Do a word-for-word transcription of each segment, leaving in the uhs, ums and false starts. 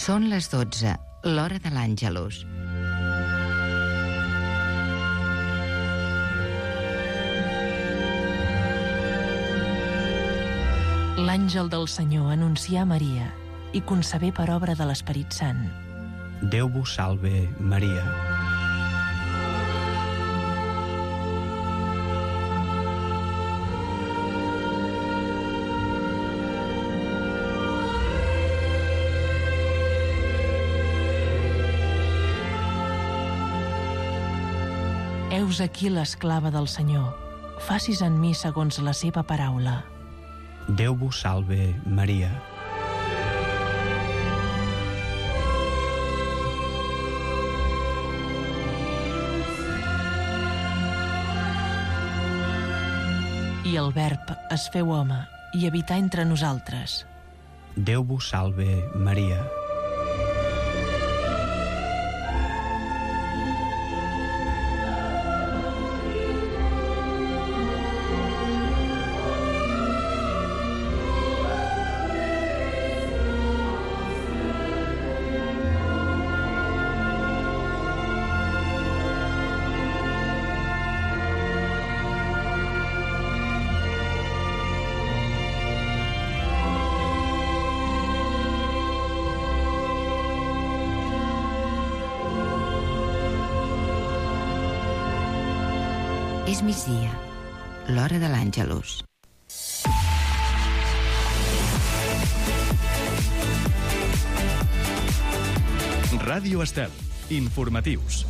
Són les dotze, l'hora de l'Àngelus. L'àngel del Senyor anuncià a Maria i concebé per obra de l'Esperit Sant. Déu vos salve, Maria. Heus aquí l'esclava del Senyor. Facis en mi segons la seva paraula. Déu vos salve, Maria. I el Verb es feu home i habità entre nosaltres. Déu vos salve, Maria. És migdia, l'hora de l'Àngelus. Ràdio Estel, informatius.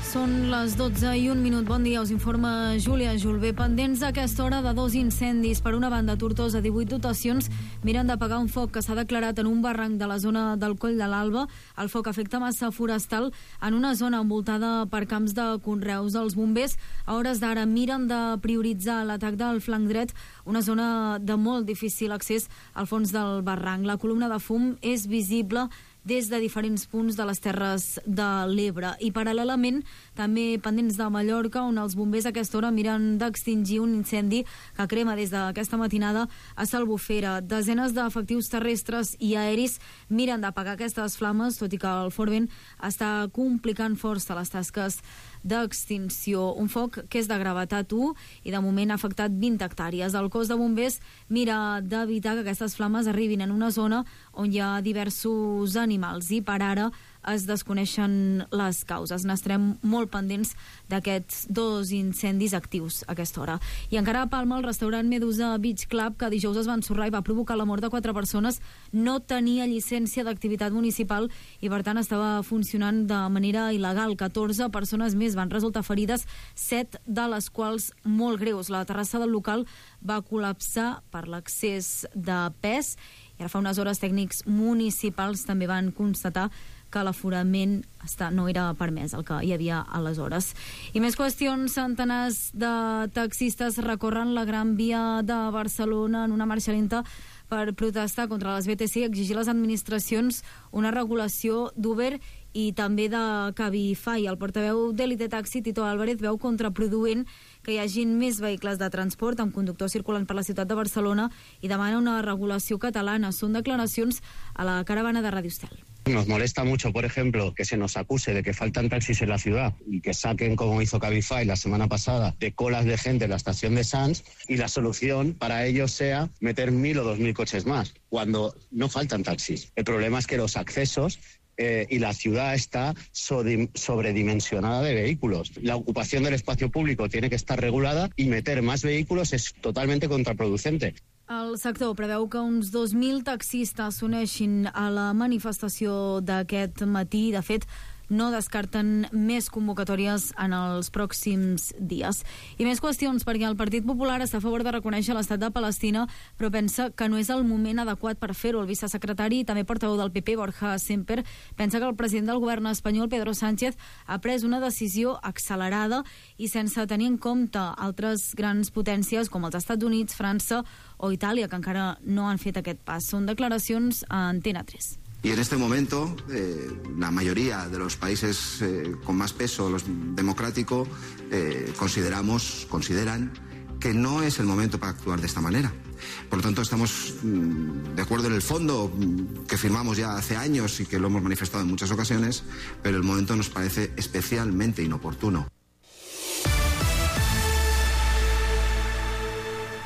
Són les dotze i un minut. Bon dia, us informa Júlia Julbé. Pendents a aquesta hora de dos incendis. Per una banda, Tortosa, divuit dotacions miren d'apagar un foc que s'ha declarat en un barranc de la zona del Coll de l'Alba. El foc afecta massa forestal en una zona envoltada per camps de conreus. Els bombers, a hores d'ara, miren de prioritzar l'atac del flanc dret, una zona de molt difícil accés al fons del barranc. La columna de fum és visible des de diferents punts de les Terres de l'Ebre. I paral·lelament, també pendents de Mallorca, on els bombers a aquesta hora miren d'extingir un incendi que crema des d'aquesta matinada a Salbufera. Desenes d'efectius terrestres i aeris miren d'apagar aquestes flames, tot i que el fort vent està complicant força les tasques d'extinció. Un foc que és de gravetat u i de moment ha afectat vint hectàrees. El cos de bombers mira d'evitar que aquestes flames arribin en una zona on hi ha diversos animals i per ara es desconeixen les causes. N'estarem molt pendents d'aquests dos incendis actius a aquesta hora. I encara a Palma, el restaurant Medusa Beach Club, que dijous es va ensorrar i va provocar la mort de quatre persones, no tenia llicència d'activitat municipal i per tant estava funcionant de manera il·legal. catorze persones més van resultar ferides, set de les quals molt greus. La terrassa del local va col·lapsar per l'excés de pes i ara fa unes hores tècnics municipals també van constatar que l'aforament està, no era permès el que hi havia aleshores. I més qüestions, centenars de taxistes recorren la Gran Via de Barcelona en una marxa lenta per protestar contra les B T C i exigir a les administracions una regulació d'Uber i també de Cabify. El portaveu d'Elite Taxi, Tito Álvarez, veu contraproduent que hi hagin més vehicles de transport amb conductors circulant per la ciutat de Barcelona i demana una regulació catalana. Són declaracions a la caravana de Radio Estel. Nos molesta mucho, por ejemplo, que se nos acuse de que faltan taxis en la ciudad y que saquen, como hizo Cabify la semana pasada, de colas de gente en la estación de Sants, y la solución para ellos sea meter mil o dos mil coches más, cuando no faltan taxis. El problema es que los accesos eh, y la ciudad está sobredimensionada de vehículos. La ocupación del espacio público tiene que estar regulada y meter más vehículos es totalmente contraproducente. El sector preveu que uns dos mil taxistes s'uneixin a la manifestació d'aquest matí. De fet, no descarten més convocatòries en els pròxims dies. I més qüestions, perquè el Partit Popular està a favor de reconèixer l'estat de Palestina, però pensa que no és el moment adequat per fer-ho. El vicesecretari i també portaveu del P P, Borja Semper, pensa que el president del govern espanyol, Pedro Sánchez, ha pres una decisió accelerada i sense tenir en compte altres grans potències com els Estats Units, França o Itàlia, que encara no han fet aquest pas. Són declaracions a Antena tres. Y en este momento eh, la mayoría de los países eh, con más peso los democrático eh, consideramos, consideran que no es el momento para actuar de esta manera. Por lo tanto, estamos mmm, de acuerdo en el fondo mmm, que firmamos ya hace años y que lo hemos manifestado en muchas ocasiones, pero el momento nos parece especialmente inoportuno.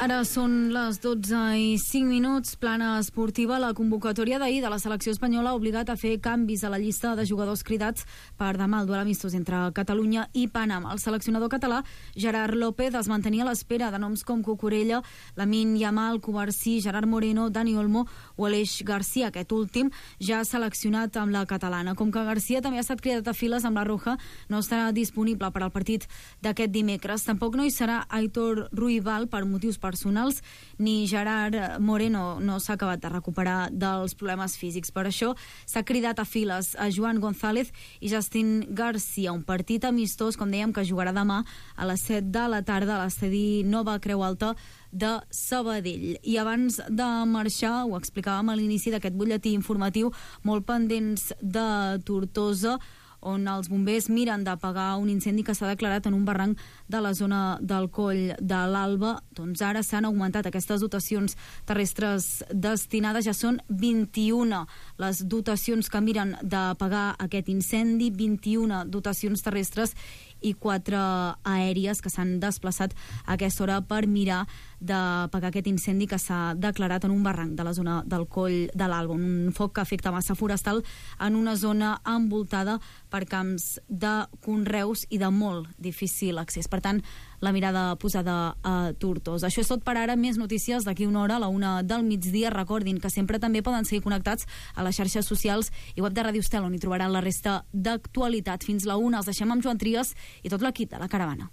Ara són les dotze i cinc minuts, plana esportiva. La convocatòria d'ahir de la selecció espanyola ha obligat a fer canvis a la llista de jugadors cridats per demà el duel amistós entre Catalunya i Panamà. El seleccionador català, Gerard López, es mantenia a l'espera de noms com Cucurella, Lamine Yamal, Covarsí, Gerard Moreno, Dani Olmo o Aleix Garcia. Aquest últim ja ha seleccionat amb la catalana. Com que Garcia també ha estat cridat a files amb la Roja, no estarà disponible per al partit d'aquest dimecres. Tampoc no hi serà Aitor Ruibal per motius personals, ni Gerard Moreno no s'ha acabat de recuperar dels problemes físics. Per això s'ha cridat a files a Joan González i Justin Garcia, un partit amistós, com dèiem, que jugarà demà a les set de la tarda a l'estadi Nova Creu Alta de Sabadell. I abans de marxar, ho explicàvem a l'inici d'aquest butlletí informatiu, molt pendents de Tortosa, on els bombers miren d'apagar un incendi que s'ha declarat en un barranc de la zona del Coll de l'Alba. Doncs ara s'han augmentat aquestes dotacions terrestres destinades, ja són vint-i-una les dotacions que miren d'apagar aquest incendi, vint-i-una dotacions terrestres i quatre aèries que s'han desplaçat a aquesta hora per mirar d'apagar aquest incendi que s'ha declarat en un barranc de la zona del Coll de l'Alba, un foc que afecta massa forestal en una zona envoltada per camps de conreus i de molt difícil accés. Per tant, la mirada posada a Tortosa. Això és tot per ara. Més notícies d'aquí una hora, a la una del migdia. Recordin que sempre també poden seguir connectats a les xarxes socials i web de Ràdio Estel, on hi trobaran la resta d'actualitat. Fins la una els deixem amb Joan Trias i tot l'equip de La Caravana.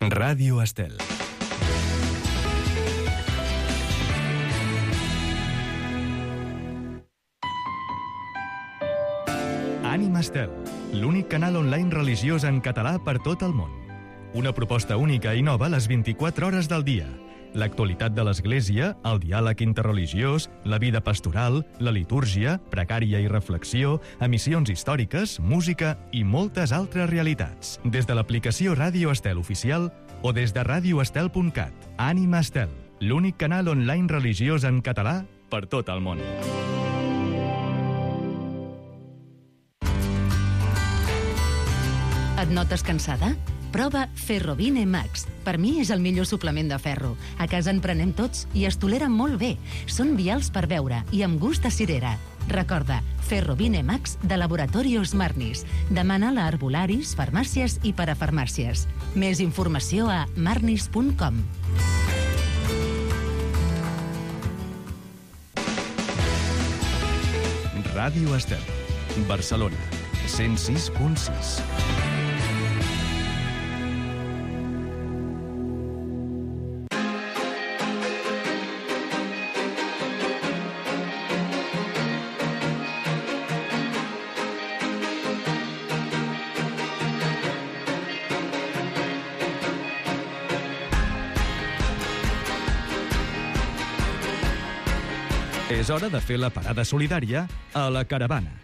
Ràdio Estel. Ànima Estel, l'únic canal online religiós en català per tot el món. Una proposta única i nova a les vint-i-quatre hores del dia. L'actualitat de l'Església, el diàleg interreligiós, la vida pastoral, la litúrgia, pregària i reflexió, emissions històriques, música i moltes altres realitats. Des de l'aplicació Ràdio Estel oficial o des de ràdio estel punt cat. Ànima Estel, l'únic canal online religiós en català per tot el món. Et notes cansada? Prova Ferrovine Max. Per mi és el millor suplement de ferro. A casa en prenem tots i es toleren molt bé. Són vials per beure i amb gust a cirera. Recorda, Ferrovine Max de Laboratorios Marnis. Demana-la a arbolaris, farmàcies i parafarmàcies. Més informació a marnis punt com. Ràdio Estel, Barcelona, cent sis punt sis. És hora de fer la parada solidària a La Caravana.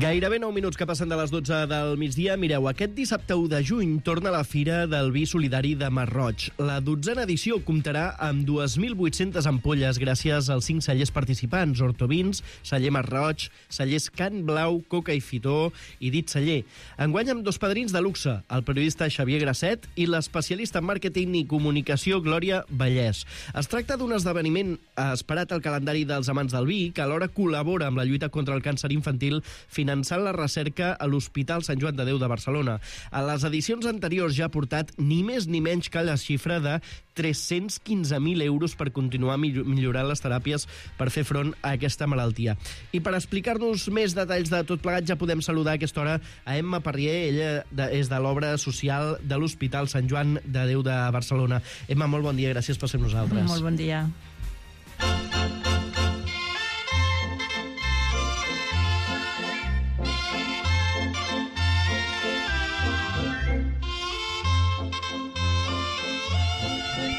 Gairebé nou minuts que passen de les dotze del migdia. Mireu, aquest dissabte u de juny torna la Fira del Vi Solidari de Masroig. La dotzena edició comptarà amb dos mil vuit-centes ampolles gràcies als cinc cellers participants: Hortovins, Celler Masroig, Cellers Can Blau, Coca i Fitó i Dit Celler. Enguany amb dos padrins de luxe, el periodista Xavier Grasset i l'especialista en màrqueting i comunicació Glòria Vallès. Es tracta d'un esdeveniment esperat al calendari dels amants del vi, que alhora col·labora amb la lluita contra el càncer infantil finançant la recerca a l'Hospital Sant Joan de Déu de Barcelona. A les edicions anteriors ja ha portat ni més ni menys que la xifra de tres-cents quinze mil euros per continuar millorant les teràpies per fer front a aquesta malaltia. I per explicar-nos més detalls de tot plegat ja podem saludar a aquesta hora a Emma Parrier. Ella és de l'obra social de l'Hospital Sant Joan de Déu de Barcelona. Emma, molt bon dia, gràcies per ser amb nosaltres. Molt bon dia.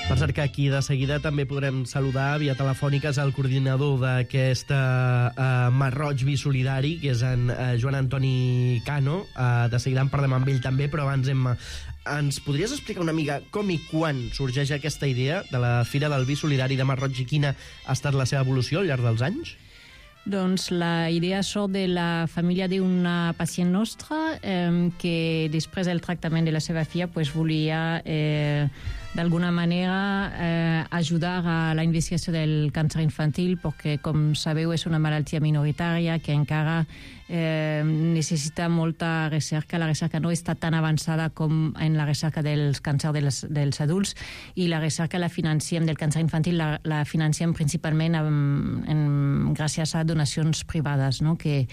Per cercar aquí. De seguida també podrem saludar via telefòniques el coordinador d'aquesta uh, Masroig Bisolidari, que és en uh, Joan Antoni Cano. Uh, de seguida en parlem amb ell també, però abans hem... Ens podries explicar una mica com i quan sorgeix aquesta idea de la Fira del Vi Solidari de Masroig i quina ha estat la seva evolució al llarg dels anys? Doncs la idea sort de la família d'una pacient nostra eh, que després del tractament de la seva filla pues, volia eh, d'alguna manera eh, ajudar a la investigació del càncer infantil perquè, com sabeu, és una malaltia minoritària que encara eh, necessita molta recerca. La recerca no està tan avançada com en la recerca dels càncer dels, dels adults i la recerca la financiem del càncer infantil la, la financiem principalment en, en, gràcies a donacions privades, no? Que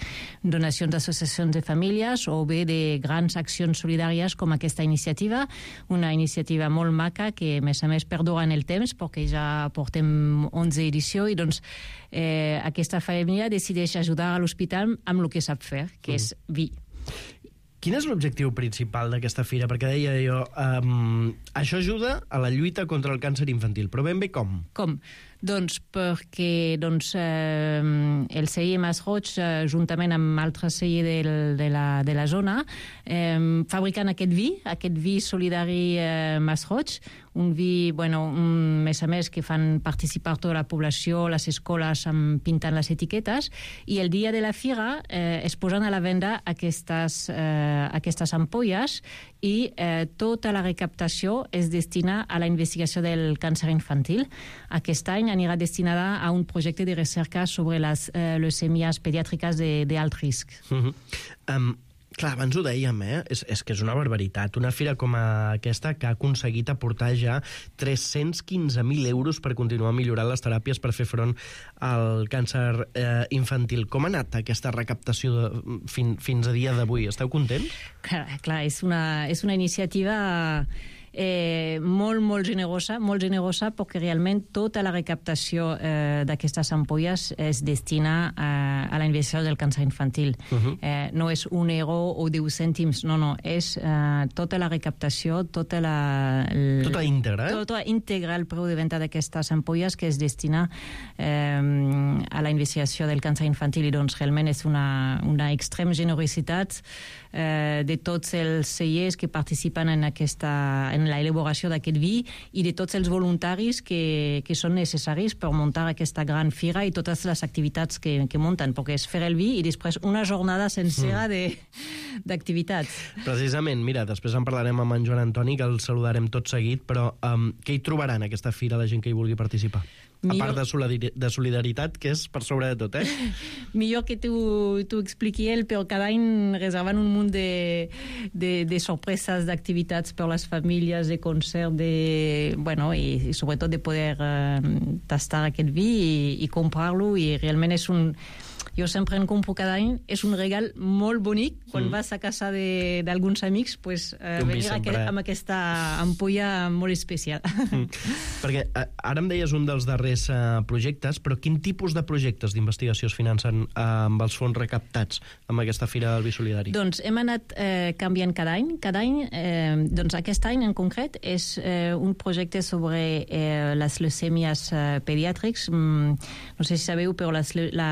donacions d'associacions de famílies o bé de grans accions solidàries com aquesta iniciativa, una iniciativa molt maca que, a més a més, perdura en el temps perquè ja portem onze edicions i doncs eh, aquesta família decideix ajudar a l'hospital amb el que sap fer, que mm. és vi. Quin és l'objectiu principal d'aquesta fira? Perquè deia jo, um, això ajuda a la lluita contra el càncer infantil, però ben bé com? Com? Doncs perquè doncs, eh, el C I E Masroig, eh, juntament amb altres C I E de, de, la, de la zona, eh, fabriquen aquest vi, aquest vi solidari eh, Masroig, un vi, bueno, un, més a més, que fan participar tota la població, les escoles amb, pintant les etiquetes, i el dia de la fira eh, es posen a la venda aquestes, eh, aquestes ampolles i eh, tota la recaptació es destina a la investigació del càncer infantil. Aquest any anirà destinada a un projecte de recerca sobre les eh, leucèmies pediàtriques d'alt risc. Uh-huh. um, clar, abans ho dèiem, eh? És, és que és una barbaritat. Una fira com aquesta que ha aconseguit aportar ja tres-cents quinze mil euros per continuar millorant les teràpies per fer front al càncer eh, infantil. Com ha anat aquesta recaptació de, fin, fins a dia d'avui? Esteu contents? Clar, clar és, una, és una iniciativa... Eh, molt, molt generosa, molt generosa perquè realment tota la recaptació eh, d'aquestes ampolles es destina a, a la investigació del càncer infantil. Uh-huh. eh, no és un euro o deu cèntims, no, no, és eh, tota la recaptació, tota la... El, tota íntegra, eh? Tota íntegra el preu de venda d'aquestes ampolles que es destina eh, a la investigació del càncer infantil i doncs realment és una, una extrem generositat eh, de tots els C I Es que participen en aquesta... En en l'elaboració d'aquest vi i de tots els voluntaris que, que són necessaris per muntar aquesta gran fira i totes les activitats que, que munten, perquè és fer el vi i després una jornada sencera mm. d'activitats. Precisament, mira, després en parlarem amb en Joan Antoni, que el saludarem tot seguit, però um, què hi trobaran aquesta fira la gent que hi vulgui participar? Millor... A part de, solidari de solidaritat, que és per sobre de tot, eh? Millor que t'ho expliqui ell, però cada any reserven un munt de, de, de sorpreses, d'activitats per les famílies, de concert, de, bueno, i, i sobretot de poder uh, tastar aquest vi i, i comprar-lo, i realment és un... Jo sempre en compro cada any, és un regal molt bonic, quan mm. vas a casa d'alguns amics, pues, eh, venir sempre... amb aquesta ampolla molt especial. Mm. Perquè eh, ara em deies un dels darrers eh, projectes, però quin tipus de projectes d'investigació es financen eh, amb els fons recaptats amb aquesta Fira del Vi Solidari? Doncs hem anat eh, canviant cada any. Cada any, eh, doncs aquest any en concret, és eh, un projecte sobre eh, les leucèmies eh, pediàtrics. Mm, no sé si sabeu, però les, la...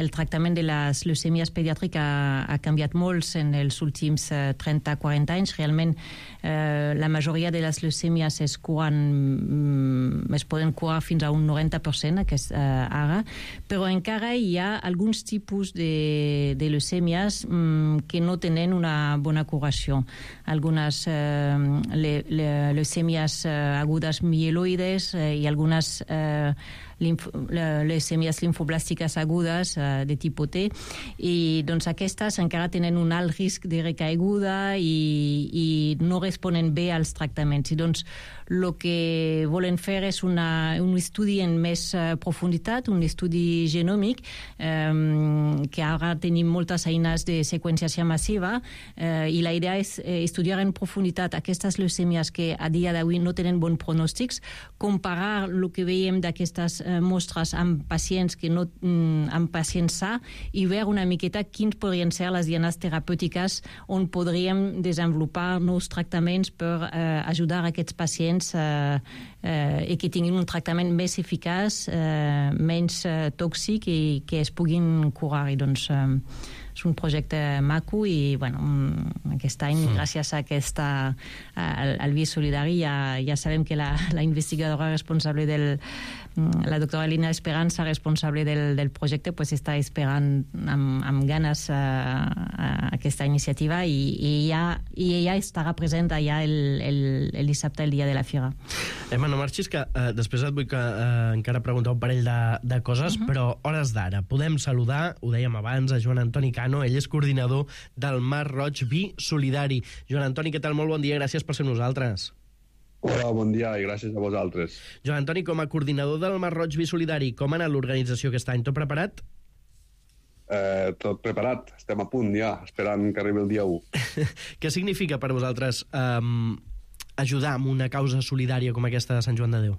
el tractament de les leucèmies pediàtriques ha, ha canviat molt en els últims eh, trenta a quaranta anys. Realment, eh, la majoria de les leucèmies es curen, mm, es poden curar fins a un noranta per cent aquest, eh, ara, però encara hi ha alguns tipus de, de leucèmies mm, que no tenen una bona curació. Algunes eh, le, le, leucèmies eh, agudes mieloides eh, i algunes eh, leucèmies linfoblàstiques agudes uh, de tipus T, i doncs aquestes encara tenen un alt risc de recaiguda i, i no responen bé als tractaments. I doncs el que volen fer és una, un estudi en més uh, profunditat, un estudi genòmic, um, que ara tenim moltes eines de seqüenciació massiva, uh, i la idea és uh, estudiar en profunditat aquestes leucèmies que a dia d'avui no tenen bons pronòstics, comparar el que veiem d'aquestes uh, eh, mostres amb pacients que no, amb pacients sa i veure una miqueta quins podrien ser les dianes terapèutiques on podríem desenvolupar nous tractaments per eh, ajudar aquests pacients eh, eh, i que tinguin un tractament més eficaç, eh, menys eh, tòxic i que es puguin curar. I doncs eh, és un projecte maco i bueno, aquest any, mm. gràcies a aquesta, al, al Via Solidari, ja, ja sabem que la, la investigadora responsable del, la doctora Lina Esperanza, responsable del, del projecte, pues està esperant amb, amb ganes a, a aquesta iniciativa i, i, ja, i ella estarà present allà el, el, el dissabte, el dia de la fira. Emma, no marxis, que eh, després et vull que, eh, encara preguntar un parell de, de coses, uh -huh. però hores d'ara. Podem saludar, ho dèiem abans, a Joan Antoni Cano, ell és coordinador del Mar Roig Vi Solidari. Joan Antoni, què tal? Molt bon dia, gràcies per ser nosaltres. Hola, bon dia i gràcies a vosaltres. Joan Antoni, com a coordinador del Mar Roig Vi Solidari, com ha anat l'organització aquest any? Tot preparat? Eh, tot preparat, estem a punt ja, esperant que arribi el dia u. Què significa per vosaltres um, ajudar amb una causa solidària com aquesta de Sant Joan de Déu?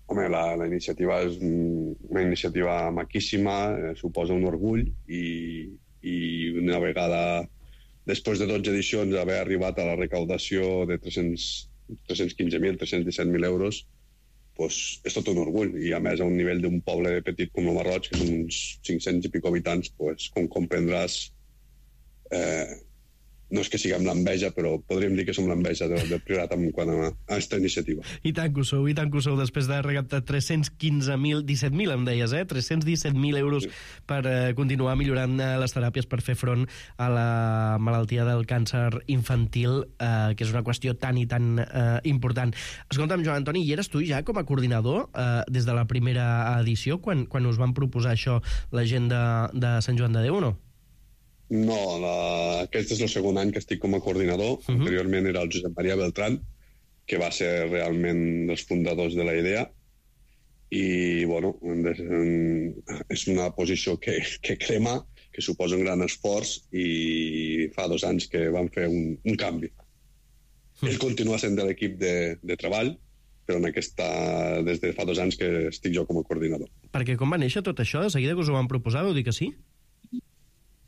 Home, la, la iniciativa és una iniciativa maquíssima, eh, suposa un orgull i, i una vegada, després de dotze edicions, haver arribat a la recaudació de tres-cents quinze mil, tres-cents disset mil euros, pues, és tot un orgull. I a més, a un nivell d'un poble petit com el Mar Roig, que són uns cinc-cents i pico habitants, pues, com comprendràs, eh, no és que siguem l'enveja, però podríem dir que som l'enveja del, del Priorat en quant a aquesta iniciativa. I tant que ho sou, i tant que ho sou, després de recaptar tres-cents quinze mil, disset mil em deies, eh? tres-cents disset mil euros sí. per eh, continuar millorant eh, les teràpies per fer front a la malaltia del càncer infantil, eh, que és una qüestió tan i tan eh, important. Escolta'm, Joan Antoni, i eres tu ja com a coordinador eh, des de la primera edició, quan, quan us van proposar això la gent de, de Sant Joan de Déu, o no? No, la... aquest és el segon any que estic com a coordinador. Uh-huh. Anteriorment era el Josep Maria Beltrán, que va ser realment dels fundadors de la idea. I, bueno, és una posició que, que crema, que suposa un gran esforç, i fa dos anys que van fer un, un canvi. Uh-huh. Ell continua sent de l'equip de, de treball, però en aquesta, des de fa dos anys que estic jo com a coordinador. Perquè com va néixer tot això? De seguida que us ho van proposar, vau dir que sí?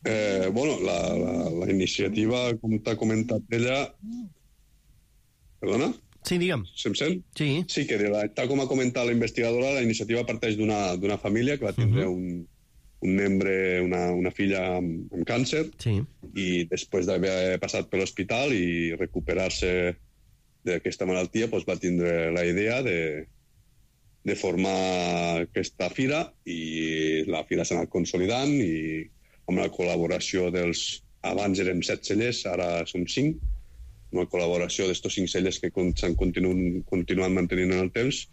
Eh, bueno, la, la, la iniciativa, com t'ha comentat ella... Perdona? Sí, digue'm. Se'm sent? Sí. Sí, que la, tal com ha comentat la investigadora, la iniciativa parteix d'una família que va tindre uh -huh. un, un membre, una, una filla amb, amb càncer, sí. i després d'haver passat per l'hospital i recuperar-se d'aquesta malaltia, doncs va tindre la idea de, de formar aquesta fira, i la fira s'ha anat consolidant, i amb la col·laboració dels... Abans érem set cellers, ara som cinc, amb la col·laboració d'estos cinc cellers que s'han continu, continuat mantenint en el temps,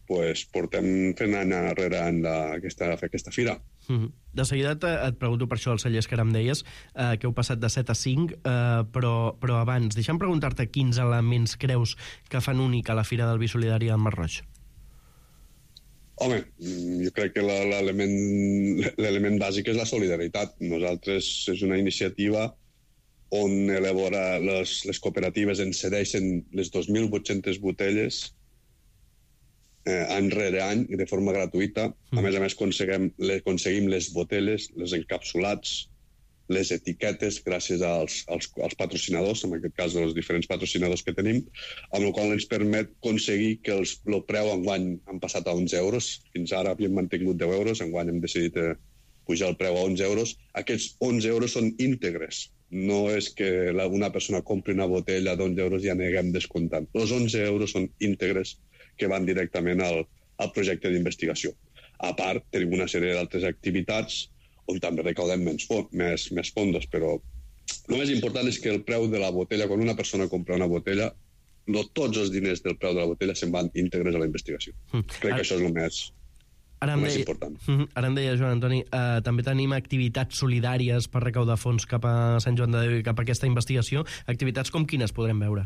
pues, portem fent any darrere any la, aquesta, aquesta fira. Mm-hmm. De seguida et, et pregunto per això, els cellers que ara em deies, eh, que heu passat de set a cinc, eh, però, però abans, deixa'm preguntar-te quins elements creus que fan única la Fira del Vi Solidari al Mar Roig. Home, jo crec que l'element bàsic és la solidaritat. Nosaltres és una iniciativa on elabora les, les cooperatives ens cedeixen les dos mil vuit-centes botelles eh, any rere any i de forma gratuïta. A més a més, aconseguim, aconseguim les botelles, les encapsulats, les etiquetes gràcies als, als, als patrocinadors, en aquest cas els diferents patrocinadors que tenim, amb la qual ens permet aconseguir que els, el preu enguany han passat a onze euros. Fins ara havíem mantingut deu euros, enguany hem decidit eh, pujar el preu a onze euros. Aquests onze euros són íntegres. No és que la, una persona compri una botella d'onze euros i ja aneguem descomptant. Els onze euros són íntegres que van directament al, al projecte d'investigació. A part, tenim una sèrie d'altres activitats on també recaudem més, més, més fondos, però el més important és que el preu de la botella, quan una persona compra una botella, no tots els diners del preu de la botella se'n van íntegres a la investigació. Mm. Crec que això és el més, ara el més deia, important. Ara em deia, Joan Antoni, eh, també tenim activitats solidàries per recaudar fons cap a Sant Joan de Déu i cap a aquesta investigació. Activitats com quines podrem veure?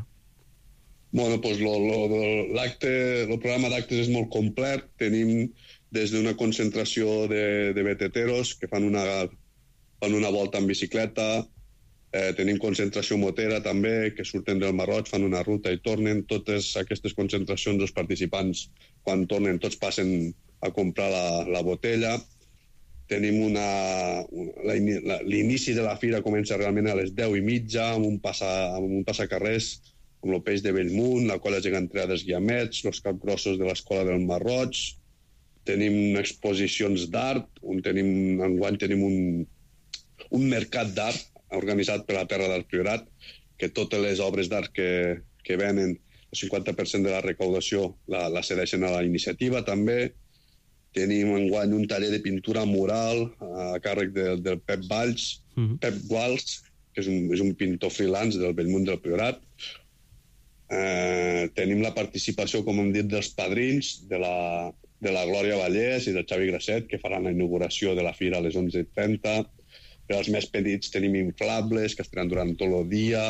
Bueno, doncs lo, lo, l'acte, el programa d'actes és molt complet. Tenim des d'una concentració de, de veteteros que fan una, fan una volta en bicicleta, Eh, tenim concentració motera també, que surten del Marroig, fan una ruta i tornen. Totes aquestes concentracions, els participants, quan tornen, tots passen a comprar la, la botella. Tenim una... una la, l'inici de la fira comença realment a les deu i mitja, amb un, passa, amb un passacarrers, amb el peix de Bellmunt, la colla gegantera dels Guiamets, els capgrossos de l'escola del Marroig. Tenim exposicions d'art, on tenim, enguany tenim un, un mercat d'art organitzat per la Terra del Priorat, que totes les obres d'art que, que venen, el cinquanta per cent de la recaudació la, la cedeixen a la iniciativa també. Tenim enguany un taller de pintura mural a càrrec de, del Pep Valls, uh-huh. Pep Guals, que és un, és un pintor freelance del Bellmunt del Priorat. Eh, tenim la participació, com hem dit, dels padrins, de la, de la Glòria Vallès i del Xavi Grasset, que faran la inauguració de la fira a les onze i trenta. Per als més petits tenim inflables, que estaran durant tot el dia.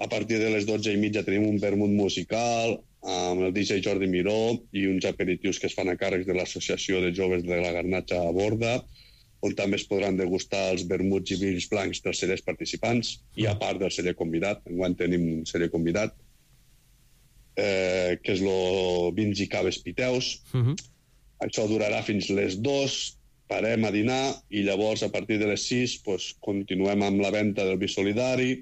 A partir de les dotze i mitja tenim un vermut musical amb el D J Jordi Miró i uns aperitius que es fan a càrrec de l'Associació de Joves de la Garnatxa a Borda, on també es podran degustar els vermuts i vins blancs dels cellers participants i a part del celler convidat. Enguany tenim un celler convidat, eh, que és el vins i caves piteus. Uh-huh. Això durarà fins les dues. Parem a dinar i llavors a partir de les sis pues, continuem amb la venda del vi solidari.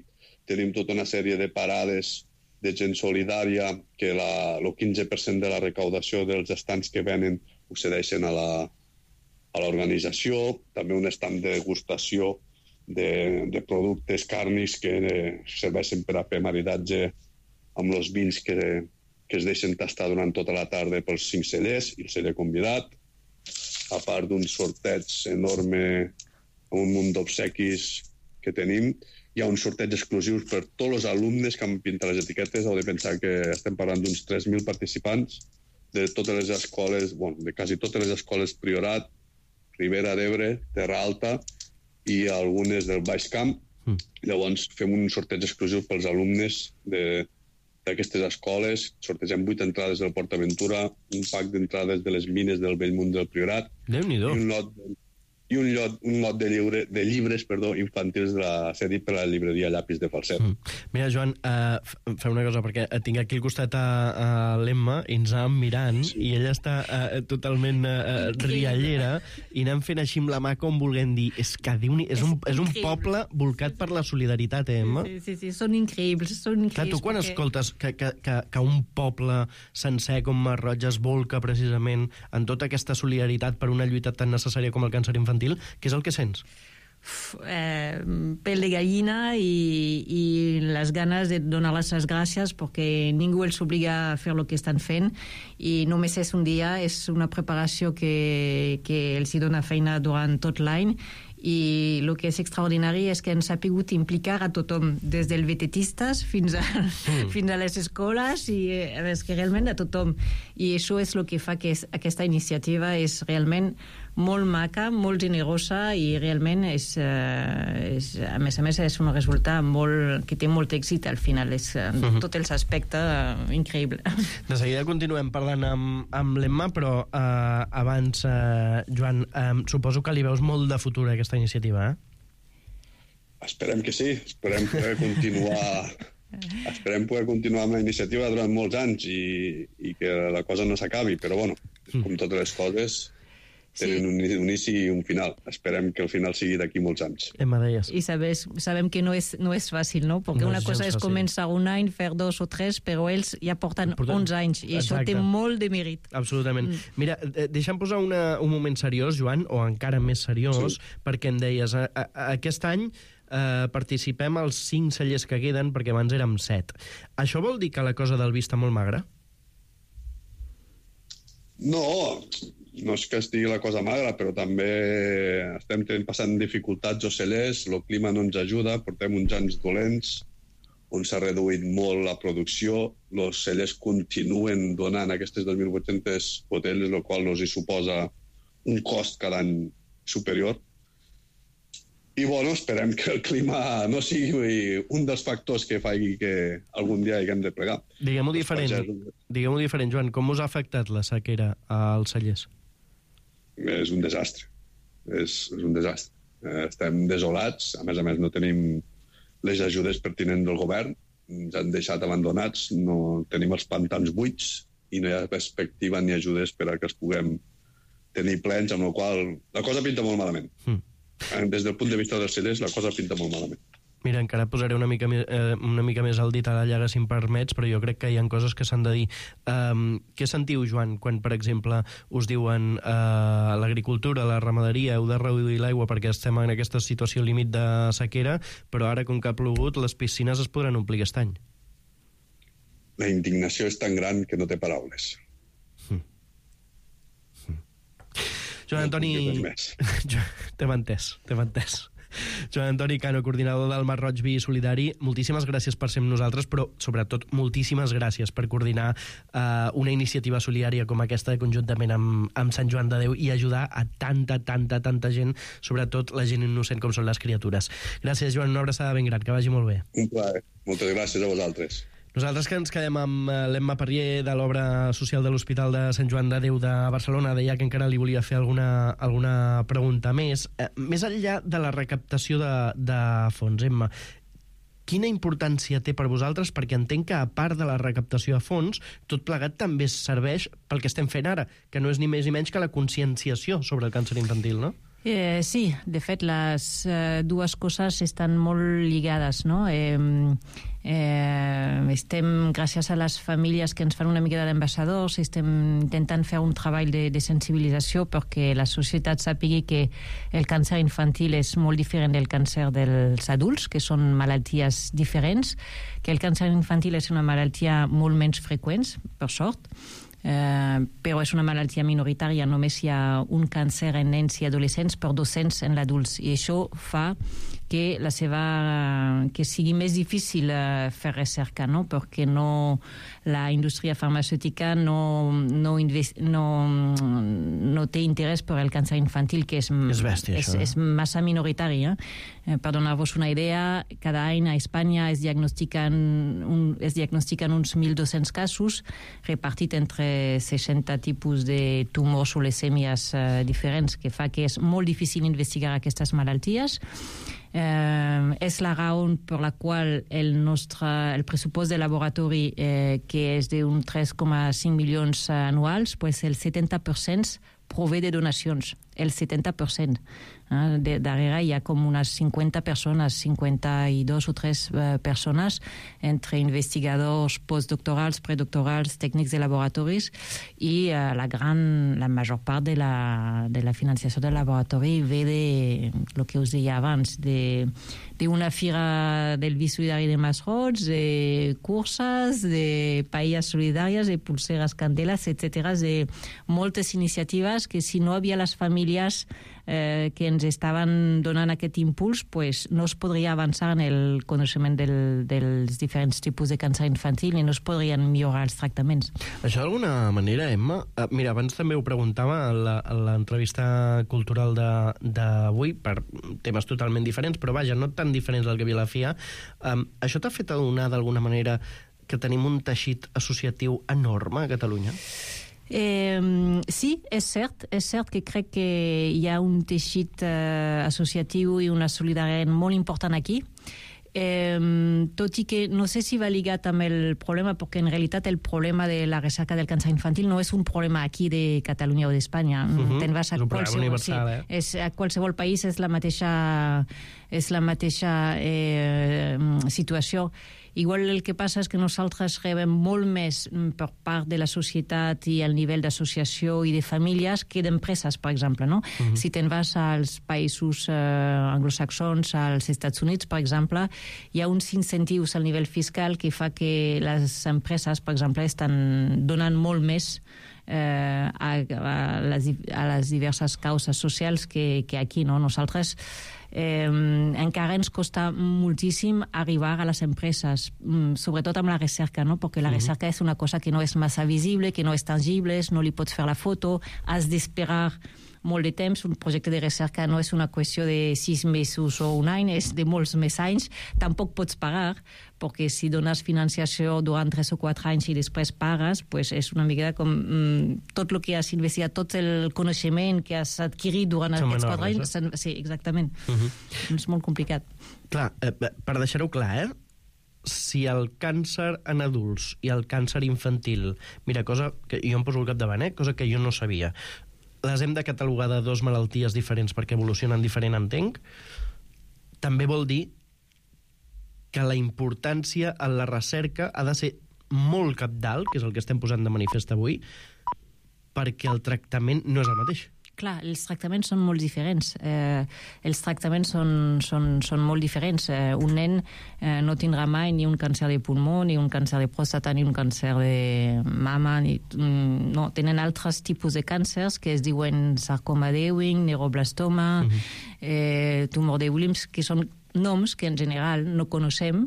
Tenim tota una sèrie de parades de gent solidària que la, el quinze per cent de la recaudació dels estants que venen ho cedeixen a la, a l'organització. També un estand de degustació de, de productes càrnics que eh, serveixen per a fer maridatge amb els vins que, que es deixen tastar durant tota la tarda pels cinc cellers i el celler convidat. A part d'un sorteig enorme amb un munt d'obsequis que tenim, hi ha un sorteig exclusiu per tots els alumnes que han pintat les etiquetes. Heu de pensar que estem parlant d'uns tres mil participants de totes les escoles, bueno, de quasi totes les escoles Priorat, Ribera d'Ebre, Terra Alta i algunes del Baix Camp. Mm. Llavors fem un sorteig exclusiu pels alumnes de d'aquestes escoles. Sortegem vuit entrades del PortAventura, un pack d'entrades de les mines del Bellmunt del Priorat i un lot, i un lot, un lot de, lliure, de llibres perdó, infantils de la, cedit per la llibreria Llapis de Falset. Mm. Mira, Joan, uh, fem una cosa, perquè tinc aquí al costat a, a l'Emma i ens anàvem mirant sí. i ella està uh, totalment uh, riallera i anem fent així amb la mà com volguem dir és que és, és, un, és un poble volcat per la solidaritat, eh, Emma? Sí, sí, sí, són increïbles, són increïbles. Clar, tu quan perquè... escoltes que, que, que, que un poble sencer com Marroig es volca precisament en tota aquesta solidaritat per una lluita tan necessària com el càncer infantil, què és el que sents? Eh, pell de gallina i, i les ganes de donar-les les gràcies perquè ningú els obliga a fer el que estan fent i només és un dia, és una preparació que, que els hi dona feina durant tot l'any i el que és extraordinari és que ens ha pogut implicar a tothom, des dels vetetistes fins a, mm. fins a les escoles i és que realment a tothom i això és el que fa que és, aquesta iniciativa és realment molt maca, molt generosa i realment és, eh, és, a més a més és un resultat molt, que té molt èxit al final, és en uh-huh. tots els aspectes uh, increïble. De seguida continuem parlant amb, amb l'Emma, però eh, abans, eh, Joan, eh, suposo que li veus molt de futur a aquesta iniciativa, eh? Esperem que sí, esperem poder continuar esperem poder continuar amb la iniciativa durant molts anys i, i que la cosa no s'acabi, però bueno, com totes les coses tenen un inici i un final. Esperem que el final sigui d'aquí molts anys. Emma, deies. I sabes, sabem que no és, no és fàcil, no? Perquè no una cosa és començar un any, fer dos o tres, però ells ja porten onze anys, i això té molt de mèrit. Absolutament. Mm. Mira, deixa'm posar una, un moment seriós, Joan, o encara més seriós, sí. perquè em deies, a, a, aquest any eh, participem als cinc cellers que queden, perquè abans érem set. Això vol dir que la cosa del vi està molt magra? No, no és que estigui la cosa magra, però també estem passant dificultats als cellers, el clima no ens ajuda, portem uns anys dolents, on s'ha reduït molt la producció, els cellers continuen donant aquestes dos mil vuit-centes botelles, el qual els hi suposa un cost cada any superior. I, bueno, esperem que el clima no sigui un dels factors que faci que algun dia haguem de plegar. Diguem-ho diferent, diguem-ho diferent, Joan, com us ha afectat la sequera als cellers? És un desastre. És, és un desastre. Estem desolats, a més a més no tenim les ajudes pertinents del govern. Ens han deixat abandonats, no tenim els pantans buits i no hi ha perspectiva ni ajudes per a que els puguem tenir plens, amb la qual la cosa pinta molt malament. Mm. Des del punt de vista dels celers, la cosa pinta molt malament. Mira, encara posaré una mica, eh, una mica més el dit a la llaga, si em permets, però jo crec que hi ha coses que s'han de dir. Um, què sentiu, Joan, quan, per exemple, us diuen uh, l'agricultura, la ramaderia, heu de reduir l'aigua perquè estem en aquesta situació límit de sequera, però ara, com que ha plogut, les piscines es podran omplir aquest any? La indignació és tan gran que no té paraules. Mm. Mm. Joan Antoni... T'hem entès, t'hem entès. Joan Antoni Cano, coordinador del Mar Roig Vi Solidari, moltíssimes gràcies per ser amb nosaltres, però sobretot moltíssimes gràcies per coordinar uh, una iniciativa solidària com aquesta conjuntament amb, amb Sant Joan de Déu i ajudar a tanta, tanta, tanta gent, sobretot la gent innocent com són les criatures. Gràcies, Joan, una abraçada ben gran, que vagi molt bé. Un plaer. Moltes gràcies a vosaltres. Nosaltres que ens quedem amb l'Emma Parrier de l'obra social de l'Hospital de Sant Joan de Déu de Barcelona, deia que encara li volia fer alguna, alguna pregunta més. Eh, més enllà de la recaptació de, de fons, Emma, quina importància té per vosaltres? Perquè entenc que, a part de la recaptació de fons, tot plegat també serveix pel que estem fent ara, que no és ni més ni menys que la conscienciació sobre el càncer infantil, no? Eh, sí, de fet, les eh, dues coses estan molt lligades, no? Eh, eh, estem, gràcies a les famílies que ens fan una mica d'ambaixadors, estem intentant fer un treball de, de sensibilització perquè la societat sàpigui que el càncer infantil és molt diferent del càncer dels adults, que són malalties diferents, que el càncer infantil és una malaltia molt menys freqüent, per sort, Eh, però és una malaltia minoritària, només hi ha un càncer en nens i adolescents per dos-cents en l'adults, i això fa que la seva que sigui més difícil eh, fer recerca, no? Perquè no, la indústria farmacèutica no, no, invest, no, no té interès per el càncer infantil, que és, és, bèstia, és, és massa minoritari. Eh? Eh, per donar-vos una idea, cada any a Espanya es diagnostiquen, un, es diagnostiquen uns mil dos-cents casos repartit entre seixanta tipus de tumors o leucèmies eh, diferents, que fa que és molt difícil investigar aquestes malalties. Eh, és la raó per la qual el nostre el pressupost de laboratori, eh, que és d'un tres coma cinc milions anuals, pues el setanta per cent prové de donacions, el setanta per cent. Eh? De, darrere hi ha com unes cinquanta persones, cinquanta-dos o tres eh, persones, entre investigadors postdoctorals, predoctorals, tècnics de laboratoris, i eh, la gran, la major part de la, de la financiació del laboratori ve de, el que us deia abans, de d'una fira del Vi Solidari de Masroig, de curses, de paelles solidàries, de pulseres candeles, etcètera, de moltes iniciatives que, si no hi havia les famílies eh, que ens estaven donant aquest impuls, pues, no es podria avançar en el coneixement del, dels diferents tipus de càncer infantil i no es podrien millorar els tractaments. Això d'alguna manera, Emma, eh, mira, abans també ho preguntava a l'entrevista cultural d'avui, per temes totalment diferents, però vaja, no tan diferents del que havia la F I A. Um, això t'ha fet adonar d'alguna manera que tenim un teixit associatiu enorme a Catalunya? Eh, sí, és cert, és cert que crec que hi ha un teixit eh, associatiu i una solidaritat molt important aquí. Eh, tot i que no sé si va lligat amb el problema, perquè en realitat el problema de la recerca del càncer infantil no és un problema aquí de Catalunya o d'Espanya. Uh-huh. Te'n vas a qualsevol, sí, eh? és, a qualsevol país és la mateixa, és la mateixa eh, situació. Igual el que passa és que nosaltres rebem molt més per part de la societat i el nivell d'associació i de famílies que d'empreses, per exemple. No? Uh-huh. Si te'n vas als països eh, anglosaxons, als Estats Units, per exemple, hi ha uns incentius al nivell fiscal que fa que les empreses, per exemple, estan donant molt més eh, a, a, les, a les diverses causes socials que, que aquí, no? Nosaltres Eh, encara ens costa moltíssim arribar a les empreses, sobretot amb la recerca, no? Perquè la recerca és una cosa que no és massa visible, que no és tangible, no li pots fer la foto, has d'esperar molt de temps. Un projecte de recerca no és una qüestió de sis mesos o un any, és de molts més anys. Tampoc pots pagar, perquè si dones financiació durant tres o quatre anys i després pagues, pues és una mica com mm, tot el que has investigat, tot el coneixement que has adquirit durant aquests quatre anys. Sí, exactament. Uh-huh. Uh-huh. És molt complicat. Clar, eh, per deixar-ho clar, eh? Si el càncer en adults i el càncer infantil... Mira, cosa que jo em poso al capdavant, eh? Cosa que jo no sabia. Les hem de catalogar de dues malalties diferents perquè evolucionen diferent, entenc. També vol dir que la importància en la recerca ha de ser molt cabdal, que és el que estem posant de manifest avui, perquè el tractament no és el mateix. Clar, els tractaments són molt diferents. Eh, els tractaments són, són, són molt diferents. Eh, un nen eh, no tindrà mai ni un càncer de pulmó, ni un càncer de pròstata, ni un càncer de mama. Ni, mm, no, tenen altres tipus de càncers que es diuen sarcoma d'Ewing, neuroblastoma, uh-huh. eh, tumor de Williams, que són noms que en general no coneixem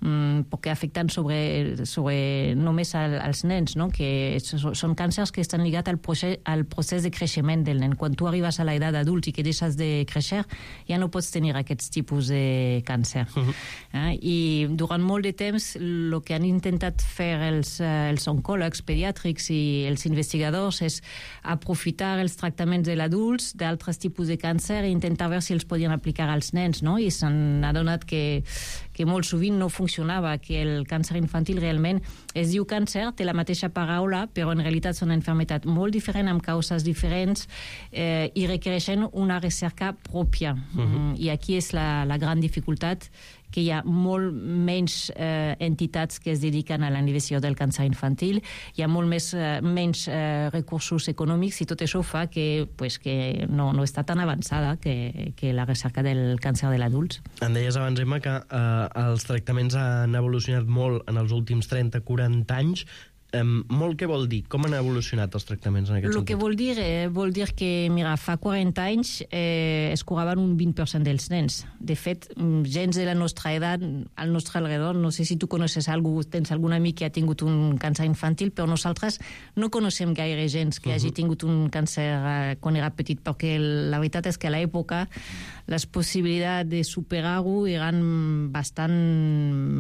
mm, perquè afecten sobre, sobre només al, als nens, no? Que són càncers que estan lligats al procés, al procés de creixement del nen. Quan tu arribes a l'edat adult i que deixes de créixer, ja no pots tenir aquests tipus de càncer. Uh-huh. eh? I durant molt de temps el que han intentat fer els, els oncòlegs pediàtrics i els investigadors és aprofitar els tractaments de l'adults d'altres tipus de càncer i intentar veure si els podien aplicar als nens, no? I s'han adonat que, que molt sovint no funcionava, que el càncer infantil realment es diu càncer, té la mateixa paraula, però en realitat són una malaltia molt diferent, amb causes diferents, eh, i requereixen una recerca pròpia. Uh-huh. I aquí és la, la gran dificultat, que hi ha molt menys eh, entitats que es dediquen a la investigació del càncer infantil, hi ha molt més, eh, menys eh, recursos econòmics, i tot això fa que, pues, que no, no està tan avançada que, que la recerca del càncer de l'adults. Em deies abans, Emma, que eh, els tractaments han evolucionat molt en els últims trenta a quaranta anys. Um, molt què vol dir? Com han evolucionat els tractaments en aquest Lo sentit? que vol dir, eh, vol dir que, mira, fa quaranta anys eh, es curaven un vint per cent dels nens. De fet, gens de la nostra edat, al nostre alrededor, no sé si tu coneixes algú, tens algun amic que ha tingut un càncer infantil, però nosaltres no coneixem gaire gens que uh-huh. hagi tingut un càncer eh, quan era petit, perquè la veritat és que a l'època les possibilitats de superar-ho eren bastant...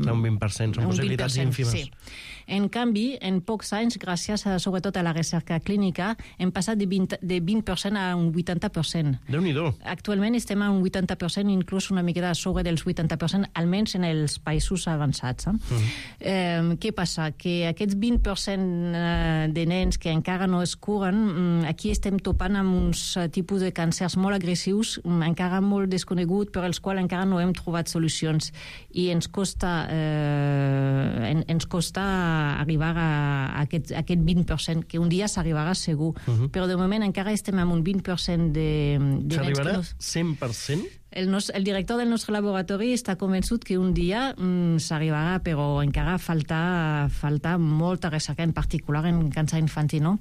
Un vint per cent, són possibilitats ínfimes. Sí. En canvi, en pocs anys, gràcies a, sobretot a la recerca clínica, hem passat de vint, de vint per cent a un vuitanta per cent. Déu-n'hi-do. Actualment estem a un vuitanta per cent, inclús una miqueta sobre dels vuitanta per cent, almenys en els països avançats. Eh? Uh-huh. Eh, què passa? Que aquests vint per cent de nens que encara no es curen, aquí estem topant amb uns tipus de càncers molt agressius, encara molt desconegut, per als quals encara no hem trobat solucions. I ens costa, eh, en, ens costa arribar a aquest, a aquest vint per cent, que un dia s'arribarà segur. Uh-huh. Però de moment encara estem amb un vint per cent de, de s'arribarà nens... cent per cent? El, nos, el director del nostre laboratori està convençut que un dia mm, s'arribarà, però encara falta, falta molta recerca, en particular en càncer infantil, no?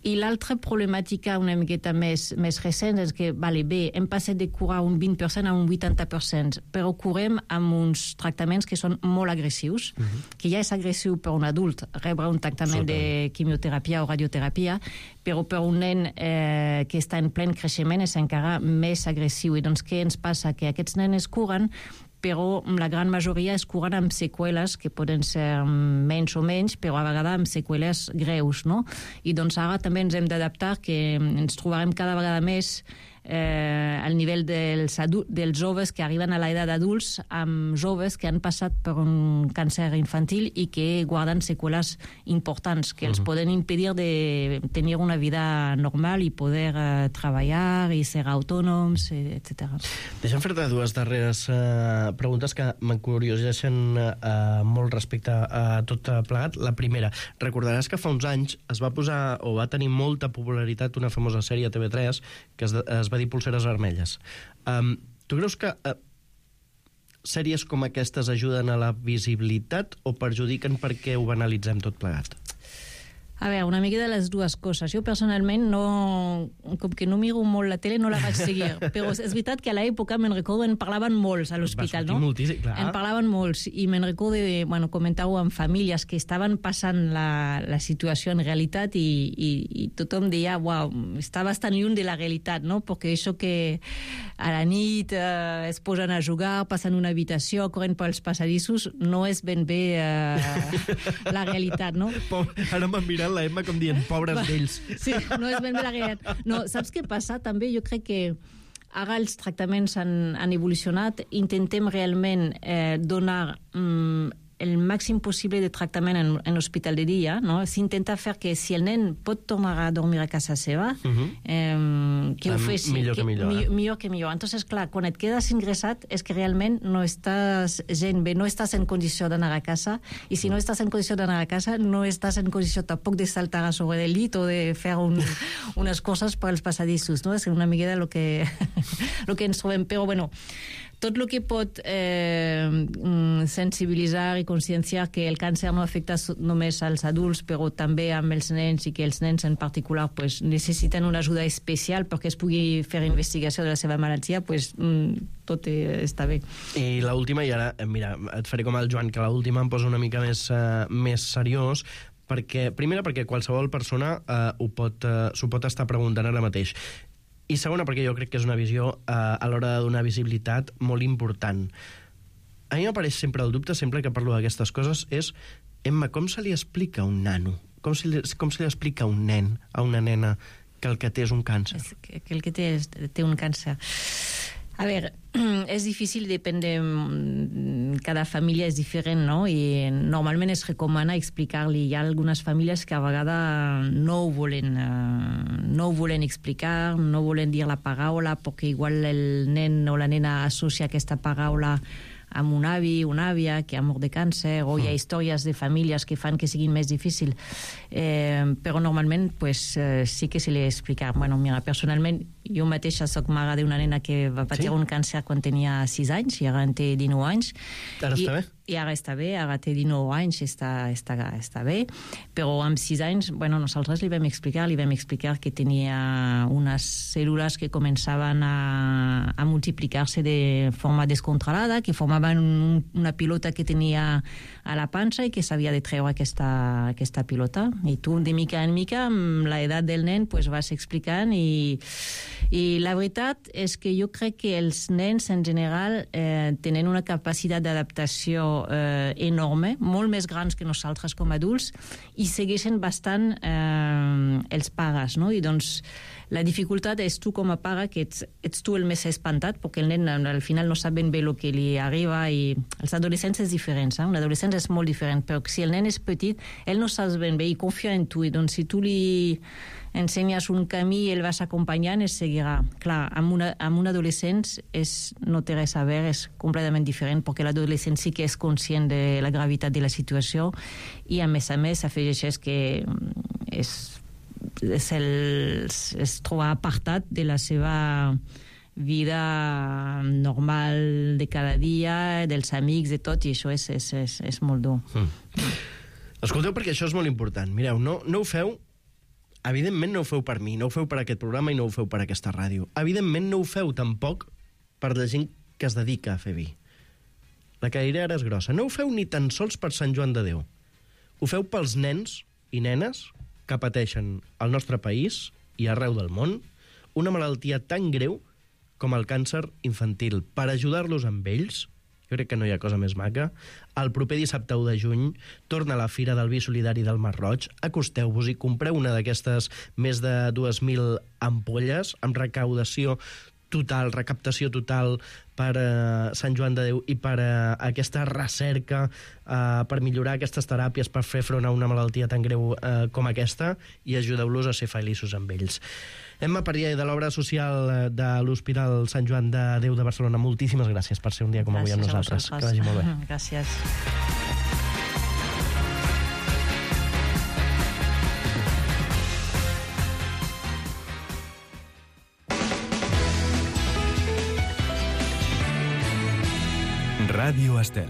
I l'altra problemàtica una miqueta més, més recent és que, vale, bé, hem passat de curar un vint per cent a un vuitanta per cent, però curem amb uns tractaments que són molt agressius, uh-huh. que ja és agressiu per un adult rebre un tractament Sota. de quimioteràpia o radioteràpia, però per un nen eh, que està en plen creixement és encara més agressiu. I doncs què ens passa? Que aquests nens es curen, però la gran majoria es curen amb seqüeles que poden ser menys o menys, però a vegades amb seqüeles greus, no? I doncs ara també ens hem d'adaptar, que ens trobarem cada vegada més eh, al nivell dels, adults, dels joves que arriben a l'edat d'adults, amb joves que han passat per un càncer infantil i que guarden seqüeles importants, que uh-huh. els poden impedir de tenir una vida normal i poder eh, treballar i ser autònoms, etcètera. Deixa'm fer-te dues darreres eh, preguntes que m'encurioseixen eh, molt respecte a tot plegat. La primera, recordaràs que fa uns anys es va posar, o va tenir molta popularitat, una famosa sèrie a T V tres que es, es va dir Polseres Vermelles. Um, tu creus que uh, sèries com aquestes ajuden a la visibilitat o perjudiquen perquè ho banalitzem tot plegat? A veure, una mica de les dues coses. Jo personalment, no, com que no miro molt la tele, no la vaig seguir. Però és veritat que a l'època, me'n recordo, en parlaven molts a l'hospital, no? Moltíssim, clar. En parlaven molts, i me'n recordo de, bueno, comentar-ho amb famílies que estaven passant la, la situació en realitat i, i, i tothom deia, uau, està bastant lluny de la realitat, no? Perquè això que a la nit eh, es posen a jugar, passen una habitació, corren pels passadissos, no és ben bé eh, la realitat, no? Ara m'han mirat la Emma com dient, pobres d'ells. Sí, no és ben bé la realitat. No, saps què passa? També jo crec que Ara els tractaments han, han evolucionat. Intentem realment eh, donar mm, el màxim possible de tractament en, en l'hospital de dia, no? S'intenta fer que si el nen pot tornar a dormir a casa seva, uh-huh. eh, que ho faci... Millor que, que millor. Mi, eh? millor que millor. Entonces, clar, quan et quedes ingressat és que realment no estàs gent bé, no estàs en condició d'anar a casa, i si no estàs en condició d'anar a casa, no estàs en condició tampoc de saltar a sobre del llit o de fer un, unes coses per als passadissos, no? És una miqueta el que, lo que ens trobem. Però, bueno, tot el que pot eh, sensibilitzar i conscienciar que el càncer no afecta només als adults, però també amb els nens, i que els nens en particular pues, necessiten una ajuda especial perquè es pugui fer investigació de la seva malaltia, pues, tot està bé. I l'última, i ara, mira, et faré com el Joan, que l'última em posa una mica més, uh, més seriós, perquè, primera, perquè qualsevol persona uh, ho pot, uh, s'ho pot estar preguntant ara mateix. I segona, perquè jo crec que és una visió eh, a l'hora de donar visibilitat molt important. A mi m'apareix sempre el dubte, sempre que parlo d'aquestes coses, és, Emma, com se li explica a un nano? Com se li, com se li explica a un nen, a una nena, que el que té és un càncer? És que, que el que té, és, té un càncer. A veure, és difícil, depèn de... Cada família és diferent, no? I normalment es recomana explicar-li. Hi ha algunes famílies que a vegades no ho volen, uh, no ho volen explicar, no volen dir la paraula, perquè igual el nen o la nena associa aquesta paraula amb un avi, una àvia que ha mort de càncer, o hi ha històries de famílies que fan que siguin més difícil. Eh, però normalment pues, eh, sí que se li explica. Bueno, mira, personalment, jo mateixa soc mare d'una nena que va patir sí? un càncer quan tenia sis anys, i ara en té dinou anys. Ara I, està bé? I ara està bé, ara té dinou anys, està, està, està bé, però amb sis anys, bueno, nosaltres li vam explicar, li vam explicar que tenia unes cèl·lules que començaven a, a multiplicar-se de forma descontrolada, que formaven un, una pilota que tenia a la panxa i que s'havia de treure aquesta, aquesta pilota. I tu, de mica en mica, amb l'edat del nen, pues, vas explicant i, i la veritat és que jo crec que els nens, en general, eh, tenen una capacitat d'adaptació Eh, enorme, molt més grans que nosaltres com a adults, i segueixen bastant eh, els pares, no? I doncs la dificultat és tu com a pare, que ets, ets tu el més espantat, perquè el nen al final no sap ben bé el que li arriba, i els adolescents és diferent, eh? Un adolescent és molt diferent, però si el nen és petit, ell no sap ben bé i confia en tu, i doncs si tu li ensenyes un camí i el vas acompanyant, es seguirà. Clar, amb, una, amb un adolescent és, no té res a veure, és completament diferent, perquè l'adolescent sí que és conscient de la gravetat de la situació, i a més a més afegeix que és, és, el, es troba apartat de la seva vida normal de cada dia, dels amics, de tot, i això és, és, és, és molt dur. Mm. Escolteu, perquè això és molt important. Mireu, no, no ho feu... Evidentment no ho feu per mi, no ho feu per aquest programa i no ho feu per aquesta ràdio. Evidentment no ho feu tampoc per la gent que es dedica a fer vi. La cadira ara és grossa. No ho feu ni tan sols per Sant Joan de Déu. Ho feu pels nens i nenes que pateixen al nostre país i arreu del món una malaltia tan greu com el càncer infantil. Per ajudar-los amb ells, jo crec que no hi ha cosa més maca, el proper dissabte u de juny torna a la Fira del Vi Solidari del Masroig. Acosteu-vos i compreu una d'aquestes més de dues mil ampolles amb recaudació total, recaptació total per uh, Sant Joan de Déu i per uh, aquesta recerca uh, per millorar aquestes teràpies, per fer front a una malaltia tan greu uh, com aquesta, i ajudeu-los a ser feliços amb ells. Emma Parià, de l'obra social de l'Hospital Sant Joan de Déu de Barcelona, moltíssimes gràcies per ser un dia com avui amb nosaltres. Que vagi molt bé. Gràcies. Ràdio Estel.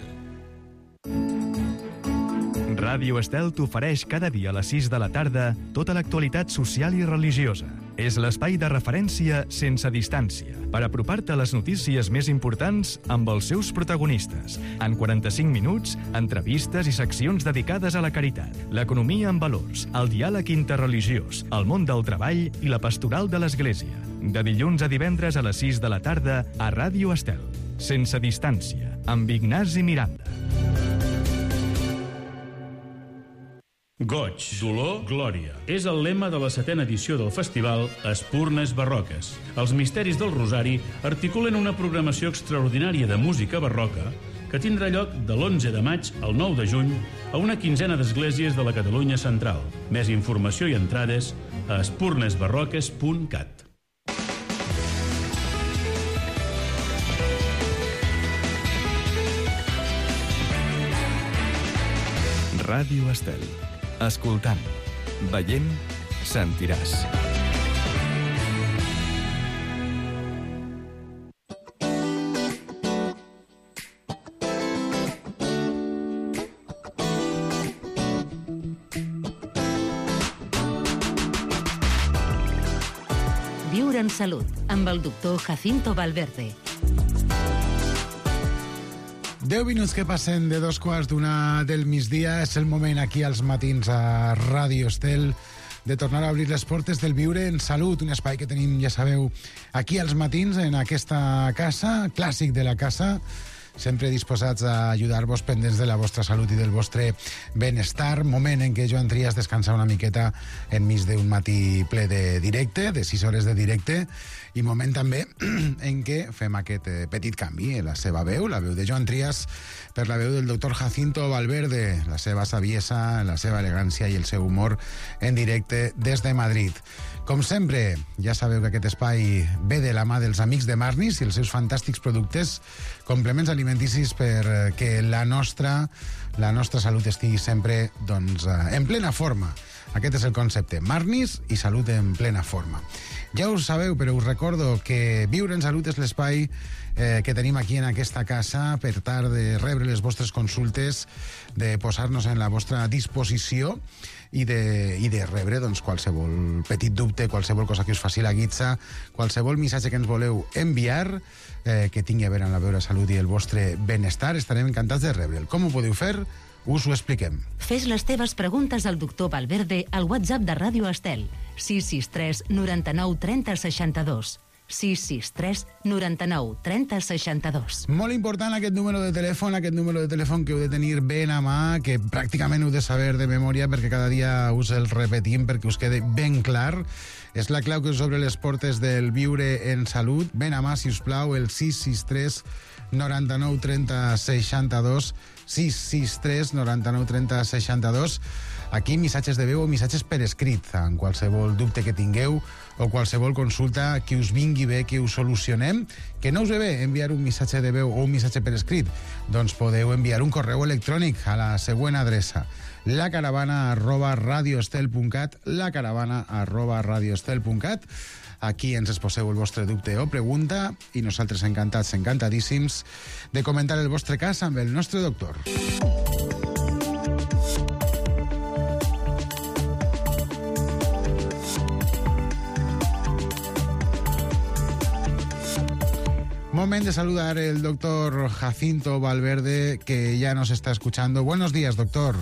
Ràdio Estel t'ofereix cada dia a les sis de la tarda tota l'actualitat social i religiosa. És l'espai de referència sense distància per apropar-te a les notícies més importants amb els seus protagonistes. En quaranta-cinc minuts, entrevistes i seccions dedicades a la caritat, l'economia amb valors, el diàleg interreligiós, el món del treball i la pastoral de l'Església. De dilluns a divendres a les sis de la tarda a Ràdio Estel. Sense distància, amb Ignasi Miranda. Goig, dolor, glòria. És el lema de la setena edició del festival Espurnes Barroques. Els misteris del Rosari articulen una programació extraordinària de música barroca que tindrà lloc de l'onze de maig al nou de juny a una quinzena d'esglésies de la Catalunya central. Més informació i entrades a espurnes barroques punt cat. Ràdio Estel. Escoltant, veient, sentiràs. Viure en salut, amb el doctor Jacinto Valverde. Deu minuts que passen de dos quarts d'una del migdia. És el moment aquí als matins a Ràdio Estel de tornar a obrir les portes del Viure en Salut, un espai que tenim, ja sabeu, aquí als matins en aquesta casa, clàssic de la casa, sempre disposats a ajudar-vos pendents de la vostra salut i del vostre benestar. Moment en què Joan Trias descansa una miqueta enmig d'un matí ple de directe, de sis hores de directe, i moment també en què fem aquest petit canvi en la seva veu, la veu de Joan Trias, per la veu del doctor Jacinto Valverde, la seva saviesa, la seva elegància i el seu humor en directe des de Madrid. Com sempre, ja sabeu que aquest espai ve de la mà dels amics de Marnis i els seus fantàstics productes, complements alimenticis perquè la nostra, la nostra salut estigui sempre doncs, en plena forma. Aquest és el concepte, Marnis i salut en plena forma. Ja us sabeu, però us recordo que Viure en Salut és l'espai eh, que tenim aquí en aquesta casa per tal de rebre les vostres consultes, de posar-nos en la vostra disposició i de, i de rebre doncs, qualsevol petit dubte, qualsevol cosa que us faci la guitza, qualsevol missatge que ens voleu enviar, eh, que tingui a veure amb la vostra salut i el vostre benestar. Estarem encantats de rebre'l. Com ho podeu fer? Us ho expliquem. Fes les teves preguntes al doctor Valverde al WhatsApp de Ràdio Estel, sis sis tres noranta-nou trenta seixanta-dos. sis sis tres noranta-nou trenta seixanta-dos. Molt important aquest número de telèfon, aquest número de telèfon que heu de tenir ben a mà, que pràcticament heu de saber de memòria perquè cada dia us el repetim perquè us quede ben clar. És la clau que us obre les portes del Viure en Salut. Ben a mà, si us plau, el sis sis tres noranta-nou trenta seixanta-dos, sis sis tres noranta-nou trenta seixanta-dos. Aquí missatges de veu o missatges per escrit, en qualsevol dubte que tingueu o qualsevol consulta que us vingui bé, que us solucionem. Que no us ve bé enviar un missatge de veu o un missatge per escrit? Doncs podeu enviar un correu electrònic a la següent adreça: lacaravana arroba radioestel punt cat, lacaravana arroba radioestel punt cat. Aquí ens exposeu el vostre dubte o pregunta i nosaltres encantats, encantadíssims de comentar el vostre cas amb el nostre doctor. Moment de saludar el doctor Jacinto Valverde, que ya nos está escuchando. Buenos días, doctor.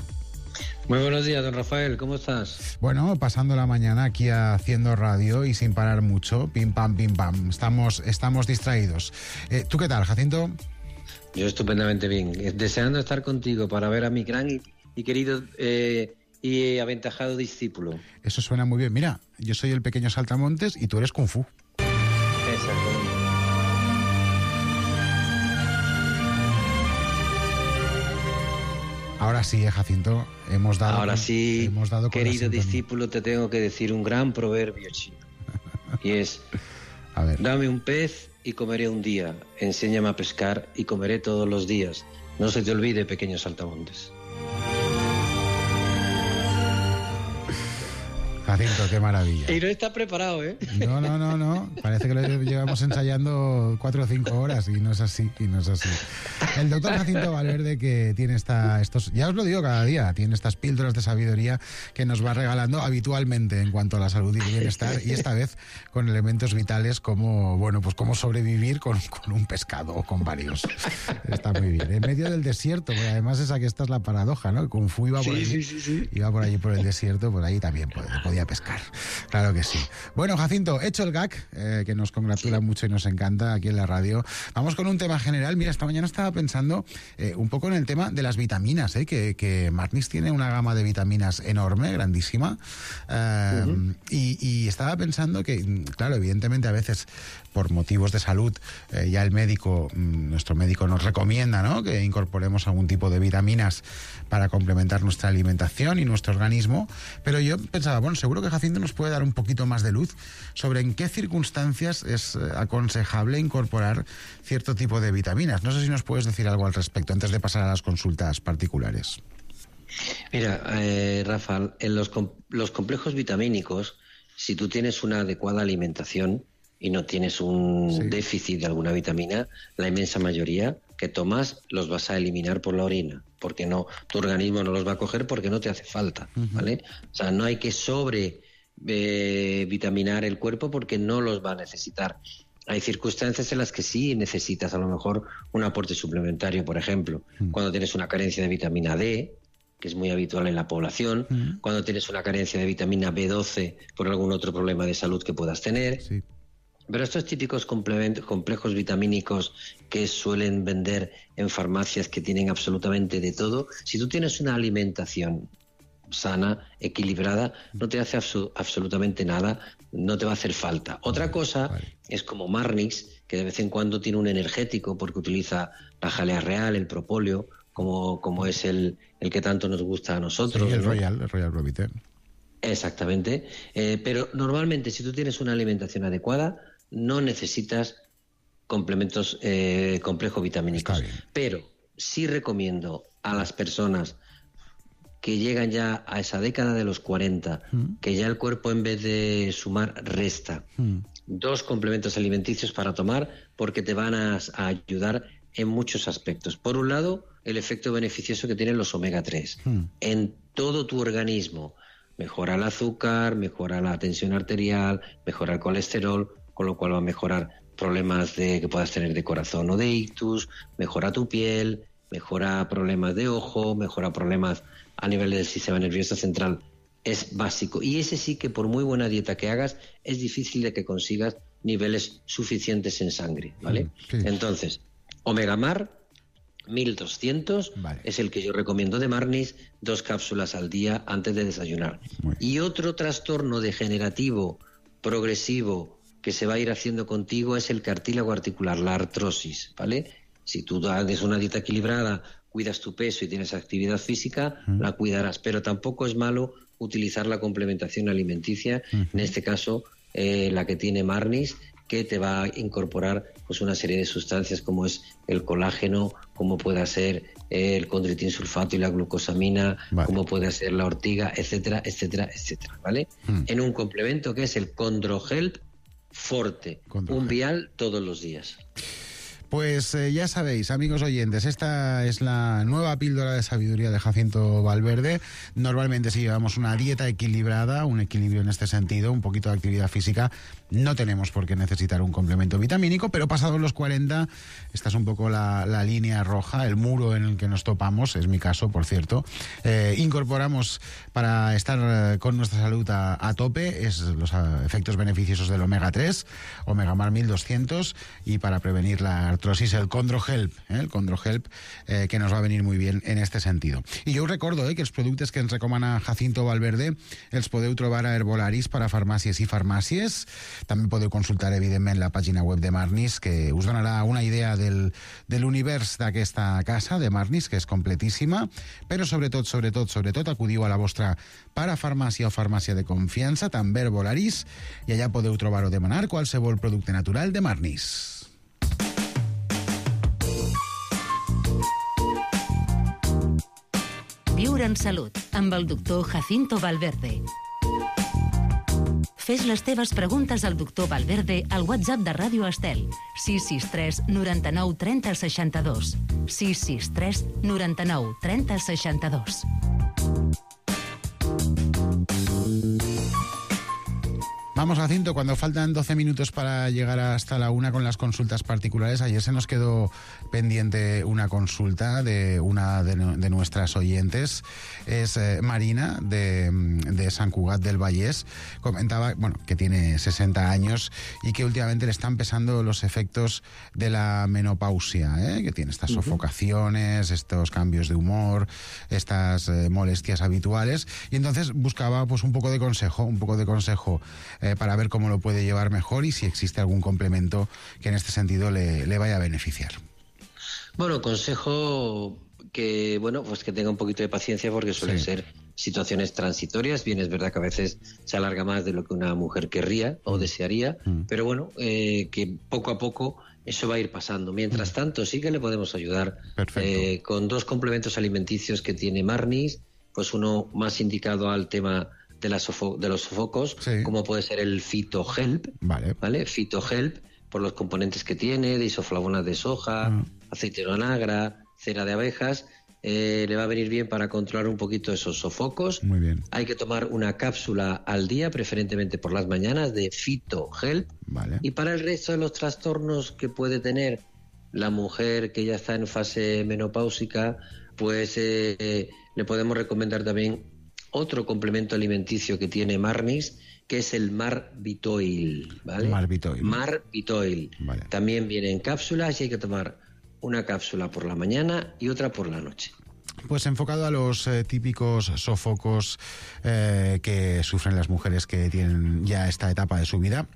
Muy buenos días, don Rafael, ¿cómo estás? Bueno, pasando la mañana aquí haciendo radio y sin parar mucho, pim pam, pim pam, estamos, estamos distraídos. Eh, ¿Tú qué tal, Jacinto? Yo estupendamente bien, deseando estar contigo para ver a mi gran y, y querido eh, y aventajado discípulo. Eso suena muy bien. Mira, yo soy el pequeño saltamontes y tú eres Kung Fu. Exacto. Ahora sí, eh, Jacinto, hemos dado... Ahora sí, hemos dado querido discípulo, te tengo que decir un gran proverbio chino. Y es, a ver. Dame un pez y comeré un día, enséñame a pescar y comeré todos los días. No se te olvide, pequeños saltamontes. Jacinto, qué maravilla. Y no está preparado, ¿eh? No, no, no, no. Parece que lo llevamos ensayando cuatro o cinco horas y no es así, y no es así. El doctor Jacinto Valverde, que tiene esta, estos, ya os lo digo cada día, tiene estas píldoras de sabiduría que nos va regalando habitualmente en cuanto a la salud y el bienestar, y esta vez con elementos vitales como, bueno, pues cómo sobrevivir con, con un pescado o con varios. Está muy bien. En medio del desierto, porque además esa que esta es la paradoja, ¿no? Kung Fu iba por, sí, allí, sí, sí, sí. iba por allí por el desierto, por ahí también podía y a pescar. Claro que sí. Bueno, Jacinto, hecho el gag, eh, que nos congratula mucho y nos encanta aquí en la radio. Vamos con un tema general. Mira, esta mañana estaba pensando eh, un poco en el tema de las vitaminas, eh, que, que Marnis tiene una gama de vitaminas enorme, grandísima. Eh, uh-huh. y, y estaba pensando que, claro, evidentemente a veces por motivos de salud eh, ya el médico, nuestro médico nos recomienda, ¿no?, que incorporemos algún tipo de vitaminas para complementar nuestra alimentación y nuestro organismo, pero yo pensaba, bueno, seguro que Jacinto nos puede dar un poquito más de luz sobre en qué circunstancias es aconsejable incorporar cierto tipo de vitaminas. No sé si nos puedes decir algo al respecto antes de pasar a las consultas particulares. Mira, eh, Rafa, en los, com- los complejos vitamínicos, si tú tienes una adecuada alimentación y no tienes un sí. déficit de alguna vitamina, la inmensa mayoría que tomas los vas a eliminar por la orina, porque no, tu organismo no los va a coger porque no te hace falta, uh-huh. ¿vale? O sea, no hay que sobre eh, vitaminar el cuerpo porque no los va a necesitar. Hay circunstancias en las que sí necesitas a lo mejor un aporte suplementario, por ejemplo, uh-huh. cuando tienes una carencia de vitamina D, que es muy habitual en la población, uh-huh. cuando tienes una carencia de vitamina B doce por algún otro problema de salud que puedas tener. Sí. Pero estos típicos complejos vitamínicos que suelen vender en farmacias, que tienen absolutamente de todo, si tú tienes una alimentación sana, equilibrada, no te hace abso- absolutamente nada, no te va a hacer falta. Otra cosa vale. es como Marnix, que de vez en cuando tiene un energético porque utiliza la jalea real, el propóleo, como, como es el, el que tanto nos gusta a nosotros. Sí, el ¿no? Royal, el Royal Provite. Exactamente. Eh, pero normalmente si tú tienes una alimentación adecuada, no necesitas complementos eh, complejos vitamínicos. Pero sí recomiendo a las personas que llegan ya a esa década de los cuarenta, mm. que ya el cuerpo en vez de sumar resta, mm. dos complementos alimenticios para tomar porque te van a, a ayudar en muchos aspectos. Por un lado, el efecto beneficioso que tienen los omega tres mm. en todo tu organismo. Mejora el azúcar, mejora la tensión arterial, mejora el colesterol, con lo cual va a mejorar problemas de, que puedas tener de corazón o de ictus, mejora tu piel, mejora problemas de ojo, mejora problemas a nivel del sistema nervioso central. Es básico. Y ese sí que por muy buena dieta que hagas, es difícil de que consigas niveles suficientes en sangre, ¿vale? Sí. Entonces, Omega Mar, mil doscientos, vale. es el que yo recomiendo de Marnis, dos cápsulas al día antes de desayunar. Y otro trastorno degenerativo progresivo que se va a ir haciendo contigo es el cartílago articular, la artrosis, ¿vale? Si tú haces una dieta equilibrada, cuidas tu peso y tienes actividad física, uh-huh. la cuidarás, pero tampoco es malo utilizar la complementación alimenticia, uh-huh. en este caso eh, la que tiene Marnis, que te va a incorporar pues una serie de sustancias como es el colágeno, como puede ser el condroitin sulfato y la glucosamina, vale. como puede ser la ortiga, etcétera, etcétera, etcétera, ¿vale? Uh-huh. En un complemento que es el ChondroHelp Forte, Condrohelp. Un vial todos los días. Pues eh, ya sabéis, amigos oyentes, esta es la nueva píldora de sabiduría de Jacinto Valverde. Normalmente si llevamos una dieta equilibrada, un equilibrio en este sentido, un poquito de actividad física, no tenemos por qué necesitar un complemento vitamínico, pero pasados los cuarenta, esta es un poco la, la línea roja, el muro en el que nos topamos, es mi caso, por cierto. Eh, incorporamos para estar con nuestra salud a, a tope es los efectos beneficiosos del omega tres, Omega Mar mil doscientos, y para prevenir la artrosis, el ChondroHelp, eh, el ChondroHelp, eh, que nos va a venir muy bien en este sentido. I jo us recordo eh, que els productes que ens recomana Jacinto Valverde els podeu trobar a Herbolaris per a farmàcies i farmàcies. També podeu consultar, evidentment, la pàgina web de Marnis, que us donarà una idea del, de l'univers d'aquesta casa, de Marnis, que és completíssima, però sobretot, sobretot, sobretot, acudiu a la vostra parafarmàcia o farmàcia de confiança, també Herbolaris, i allà podeu trobar o demanar qualsevol producte natural de Marnis. Viure en salut, amb el doctor Jacinto Valverde. Fes les teves preguntes al doctor Valverde al WhatsApp de Ràdio Estel, sis sis tres noranta-nou trenta seixanta-dos. sis sis tres noranta-nou trenta seixanta-dos. Vamos a Cinto, cuando faltan doce minutos para llegar hasta la una con las consultas particulares. Ayer se nos quedó pendiente una consulta de una de, de nuestras oyentes. Es eh, Marina, de, de Sant Cugat del Vallès. Comentaba, bueno, que tiene sesenta años y que últimamente le están pesando los efectos de la menopausia, ¿eh? Que tiene estas sofocaciones, estos cambios de humor, estas eh, molestias habituales. Y entonces buscaba pues un poco de consejo, un poco de consejo Eh, para ver cómo lo puede llevar mejor y si existe algún complemento que en este sentido le, le vaya a beneficiar. Bueno, consejo que, bueno, pues que tenga un poquito de paciencia porque suelen sí. ser situaciones transitorias. Bien, es verdad que a veces se alarga más de lo que una mujer querría o desearía, mm. pero bueno, eh, que poco a poco eso va a ir pasando. Mientras mm. tanto, sí que le podemos ayudar eh, con dos complementos alimenticios que tiene Marnis, pues uno más indicado al tema de, la sofo- de los sofocos, sí. como puede ser el Phytohelp, vale. ¿vale? Phytohelp, por los componentes que tiene, de isoflavonas de soja, mm. aceite de onagra, cera de abejas, eh, le va a venir bien para controlar un poquito esos sofocos. Muy bien. Hay que tomar una cápsula al día, preferentemente por las mañanas, de Phytohelp. Vale. Y para el resto de los trastornos que puede tener la mujer que ya está en fase menopáusica, pues eh, eh, le podemos recomendar también otro complemento alimenticio que tiene Marnis, que es el Marbitoil, ¿vale? Marbitoil. Marbitoil. Vale. También viene en cápsulas y hay que tomar una cápsula por la mañana y otra por la noche. Pues enfocado a los eh, típicos sofocos eh, que sufren las mujeres que tienen ya esta etapa de su vida,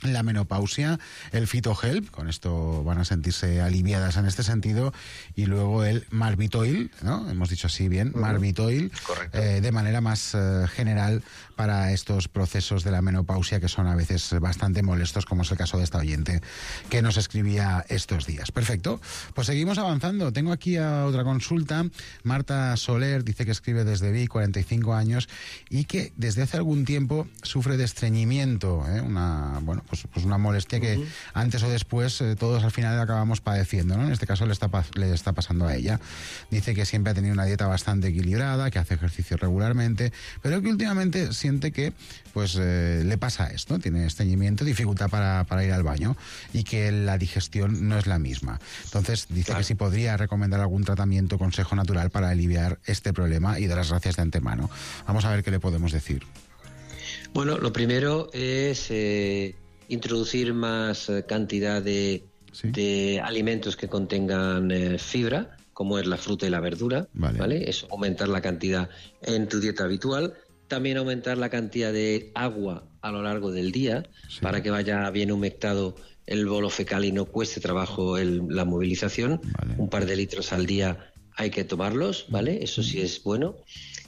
la menopausia, el Phytohelp, con esto van a sentirse aliviadas en este sentido, y luego el Marbitoil, ¿no? Hemos dicho así bien, uh-huh. Marbitoil, eh, de manera más eh, general para estos procesos de la menopausia que son a veces bastante molestos, como es el caso de esta oyente que nos escribía estos días. Perfecto, pues seguimos avanzando. Tengo aquí a otra consulta. Marta Soler dice que escribe desde Vic, cuarenta y cinco años, y que desde hace algún tiempo sufre de estreñimiento, ¿eh? una bueno pues, pues una molestia que uh-huh. antes o después eh, todos al final acabamos padeciendo, ¿no? En este caso le está, le está pasando a ella. Dice que siempre ha tenido una dieta bastante equilibrada, que hace ejercicio regularmente, pero que últimamente siente que pues eh, le pasa esto, tiene estreñimiento, dificultad para, para ir al baño y que la digestión no es la misma. Entonces dice claro. que si podría recomendar algún tratamiento, consejo natural para aliviar este problema, y de las gracias de antemano. Vamos a ver qué le podemos decir. Bueno, lo primero es eh, introducir más eh, cantidad de, ¿Sí? de alimentos que contengan eh, fibra, como es la fruta y la verdura, vale. ¿vale? Eso, aumentar la cantidad en tu dieta habitual. También aumentar la cantidad de agua a lo largo del día, sí. para que vaya bien humectado el bolo fecal y no cueste trabajo el, la movilización. Vale. Un par de litros al día hay que tomarlos, ¿vale? Eso sí es bueno.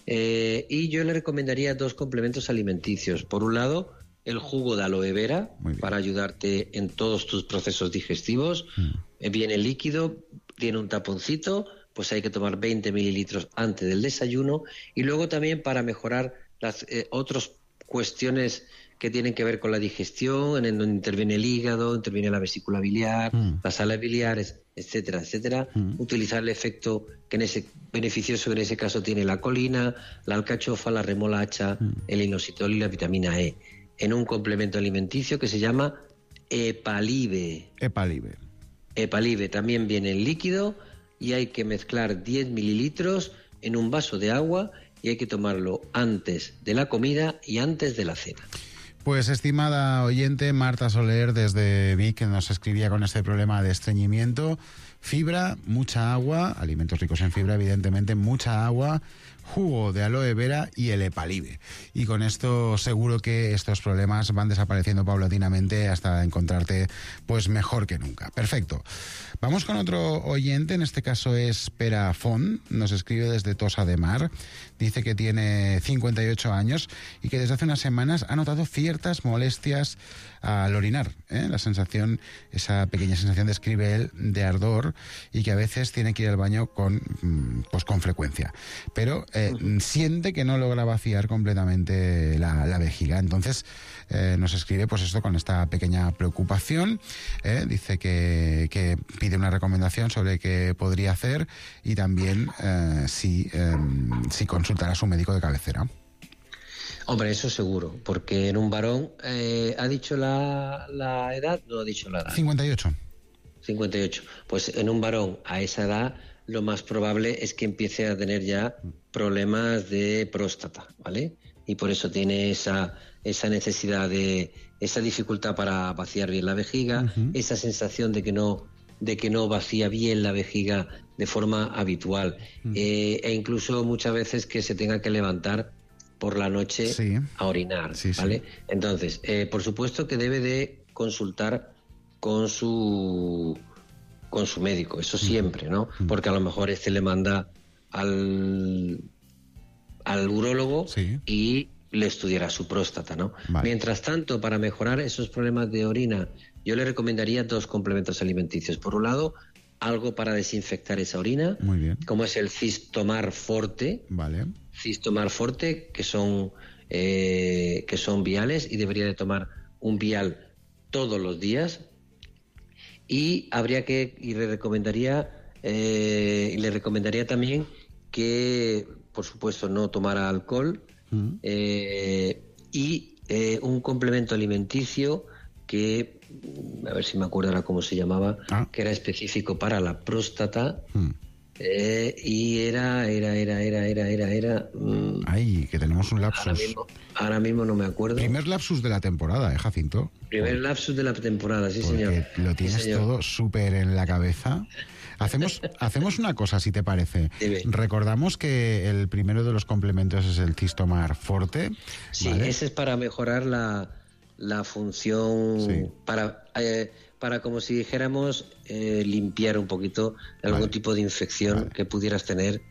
Eh, y yo le recomendaría dos complementos alimenticios. Por un lado, el jugo de aloe vera, para ayudarte en todos tus procesos digestivos. Mm. Viene líquido, tiene un taponcito, pues hay que tomar veinte mililitros antes del desayuno. Y luego también para mejorar las eh, otras cuestiones que tienen que ver con la digestión, en donde interviene el hígado, interviene la vesícula biliar, mm. las sales biliares, etcétera, etcétera. Mm. Utilizar el efecto que en ese beneficioso en ese caso tiene la colina, la alcachofa, la remolacha, mm. el inositol y la vitamina E, en un complemento alimenticio que se llama Epalive. Epalive. Epalive también viene en líquido y hay que mezclar diez mililitros en un vaso de agua y hay que tomarlo antes de la comida y antes de la cena. Pues, estimada oyente, Marta Soler desde Vic, que nos escribía con este problema de estreñimiento, fibra, mucha agua, alimentos ricos en fibra, evidentemente, mucha agua, jugo de aloe vera y el Epalive. Y con esto seguro que estos problemas van desapareciendo paulatinamente hasta encontrarte pues mejor que nunca. Perfecto. Vamos con otro oyente, en este caso es Pera Font, nos escribe desde Tossa de Mar, dice que tiene cincuenta y ocho años y que desde hace unas semanas ha notado ciertas molestias al orinar, ¿eh? La sensación, esa pequeña sensación, describe él, de ardor, y que a veces tiene que ir al baño con, pues, con frecuencia. Pero eh, uh-huh. siente que no logra vaciar completamente la, la vejiga. Entonces eh, nos escribe pues esto con esta pequeña preocupación. ¿eh? Dice que, que pide una recomendación sobre qué podría hacer y también eh, si, eh, si consultar a su médico de cabecera. Hombre, eso seguro, porque en un varón, eh, ¿ha dicho la, la edad? No ha dicho la edad. cincuenta y ocho. cincuenta y ocho. Pues en un varón a esa edad lo más probable es que empiece a tener ya problemas de próstata, ¿vale? Y por eso tiene esa, esa necesidad de, esa dificultad para vaciar bien la vejiga, uh-huh. esa sensación de que no, de que no vacía bien la vejiga de forma habitual, uh-huh. eh, e incluso muchas veces que se tenga que levantar por la noche sí. a orinar, sí, ¿vale? Sí. Entonces, eh, por supuesto que debe de consultar con su con su médico, eso siempre, ¿no? Porque a lo mejor este le manda al al urólogo sí. y le estudiará su próstata, ¿no? Vale. Mientras tanto, para mejorar esos problemas de orina, yo le recomendaría dos complementos alimenticios. Por un lado, algo para desinfectar esa orina, muy bien, como es el Cistomar Forte, vale. Cistomar Forte, que son eh, que son viales y debería de tomar un vial todos los días. Y habría que, y le recomendaría, eh, y le recomendaría también que, por supuesto, no tomara alcohol mm. eh, y eh, un complemento alimenticio que, a ver si me acuerdo ahora cómo se llamaba, ah. que era específico para la próstata. Mm. Eh, y era, era, era, era, era, era, era... Mmm, Ay, que tenemos un lapsus. Ahora mismo, ahora mismo no me acuerdo. Primer lapsus de la temporada, ¿eh, Jacinto? Primer Por... lapsus de la temporada, sí, Porque señor. Lo tienes sí, señor. todo súper en la cabeza. Hacemos, hacemos una cosa, si te parece. Dime. Recordamos que el primero de los complementos es el Cistomar Forte. Sí, ¿vale? Ese es para mejorar la, la función, sí. para... Eh, para, como si dijéramos, eh, limpiar un poquito algún vale. tipo de infección vale. que pudieras tener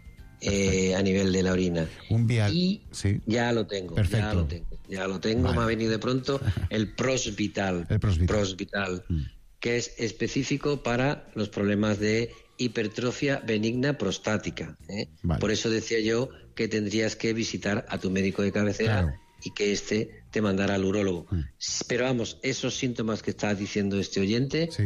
eh, a nivel de la orina. Un vial. Y sí. ya lo tengo, Perfecto. ya lo tengo, ya lo tengo, vale. me ha venido de pronto el Prosvital, el Prosvital, Prosvital mm. que es específico para los problemas de hipertrofia benigna prostática. ¿eh? Vale. Por eso decía yo que tendrías que visitar a tu médico de cabecera claro. y que este te mandara al urólogo. Mm. Pero vamos, esos síntomas que está diciendo este oyente sí.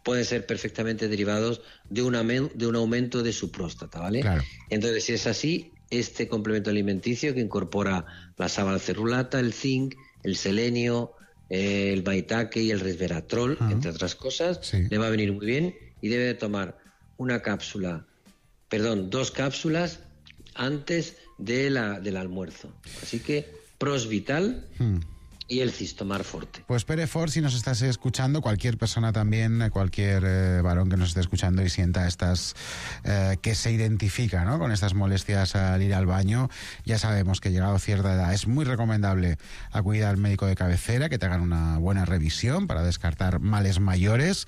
pueden ser perfectamente derivados de un, de un aumento de su próstata, ¿vale? Claro. Entonces, si es así, este complemento alimenticio que incorpora la sabalcerulata, el zinc, el selenio, eh, el maitake y el resveratrol, uh-huh. entre otras cosas, sí. le va a venir muy bien y debe de tomar una cápsula, perdón, dos cápsulas antes de la, del almuerzo. Así que Prosvital hmm. y el Cistomar Forte. Pues Pere Fort, si nos estás escuchando, cualquier persona también, cualquier eh, varón que nos esté escuchando y sienta estas, eh, que se identifica, ¿no?, con estas molestias al ir al baño, ya sabemos que llegado a cierta edad es muy recomendable acudir al médico de cabecera, que te hagan una buena revisión para descartar males mayores,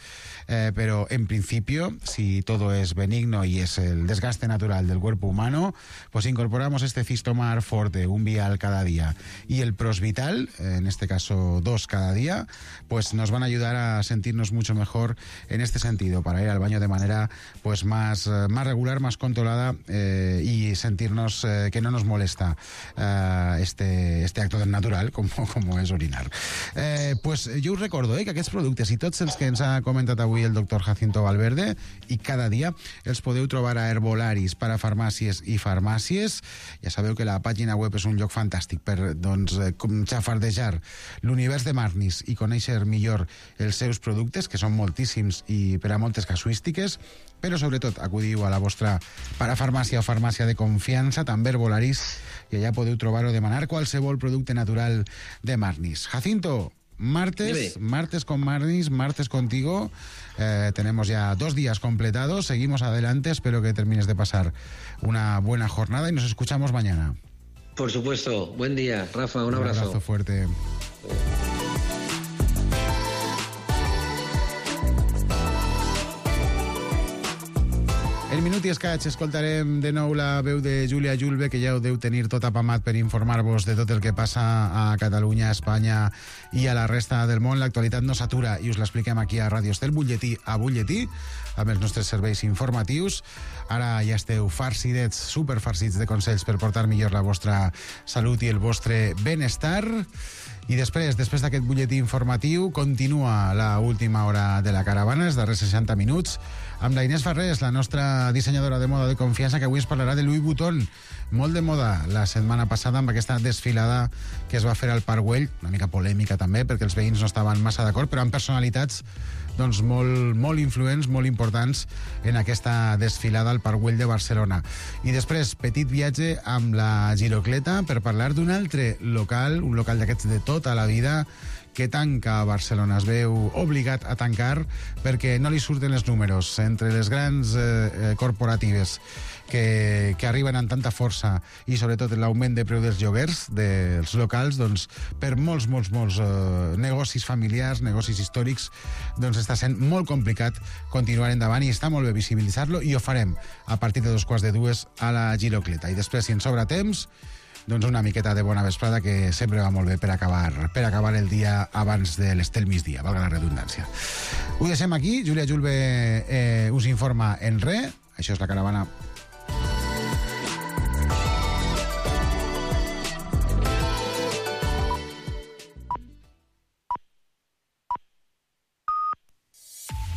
eh, pero en principio, si todo es benigno y es el desgaste natural del cuerpo humano, pues incorporamos este Cistomar Forte, un vial cada día, y el Prosvital, en este caso dos cada día, pues nos van a ayudar a sentirnos mucho mejor en este sentido, para ir al baño de manera pues más, más regular, más controlada, eh, y sentirnos eh, que no nos molesta eh, este, este acto natural com, com és orinar. Eh, pues jo us recordo eh, que aquests productes i tots els que ens ha comentat avui el doctor Jacinto Valverde, i cada dia els podeu trobar a Herbolaris, para farmàcies i farmàcies. Ja sabeu que la pàgina web és un lloc fantàstic per doncs, xafardejar l'univers de Marnis i conèixer millor els seus productes, que són moltíssims i per a moltes casuístiques, però sobretot acudiu a la vostra parafarmàcia o farmàcia de confiança, també Herbolaris, i allà podeu trobar o demanar qualsevol producte natural de Marnis. Jacinto, martes, Dime. martes con Marnis, martes contigo, eh, tenemos ya dos días completados, seguimos adelante, espero que termines de pasar una buena jornada y nos escuchamos mañana. Por supuesto, buen día, Rafa, un, un abrazo. Un abrazo fuerte. En minut i escaig escoltarem de nou la veu de Júlia Julve, que ja ho deu tenir tot apamat per informar-vos de tot el que passa a Catalunya, a Espanya i a la resta del món. L'actualitat no s'atura i us l'expliquem aquí a Ràdio Estel, butlletí a butlletí, amb els nostres serveis informatius. Ara ja esteu farcidets, superfarcits de consells per portar millor la vostra salut i el vostre benestar. I després, després d'aquest butlletí informatiu, continua la última hora de la caravana, els darrers seixanta minuts, amb la Inés Farrés, la nostra dissenyadora de moda de confiança, que avui ens parlarà de Louis Vuitton. Molt de moda la setmana passada amb aquesta desfilada que es va fer al Parc Güell, una mica polèmica també, perquè els veïns no estaven massa d'acord, però amb personalitats doncs, molt, molt influents, molt importants en aquesta desfilada al Parc Güell de Barcelona. I després, petit viatge amb la Girocleta per parlar d'un altre local, un local d'aquests de tota la vida, que tanca a Barcelona. Es veu obligat a tancar perquè no li surten els números. Entre les grans eh, corporatives que, que arriben amb tanta força i sobretot l'augment de preu dels lloguers dels locals, doncs per molts, molts, molts eh, negocis familiars, negocis històrics, doncs està sent molt complicat continuar endavant i està molt bé visibilitzar-lo i ho farem a partir de dos quarts de dues a la Girocleta. I després, si ens sobra temps, doncs una miqueta de bona vesprada que sempre va molt bé per acabar, per acabar el dia abans de l'estel migdia, valga la redundància. Ho deixem aquí, Júlia Julve eh, us informa en res, això és la caravana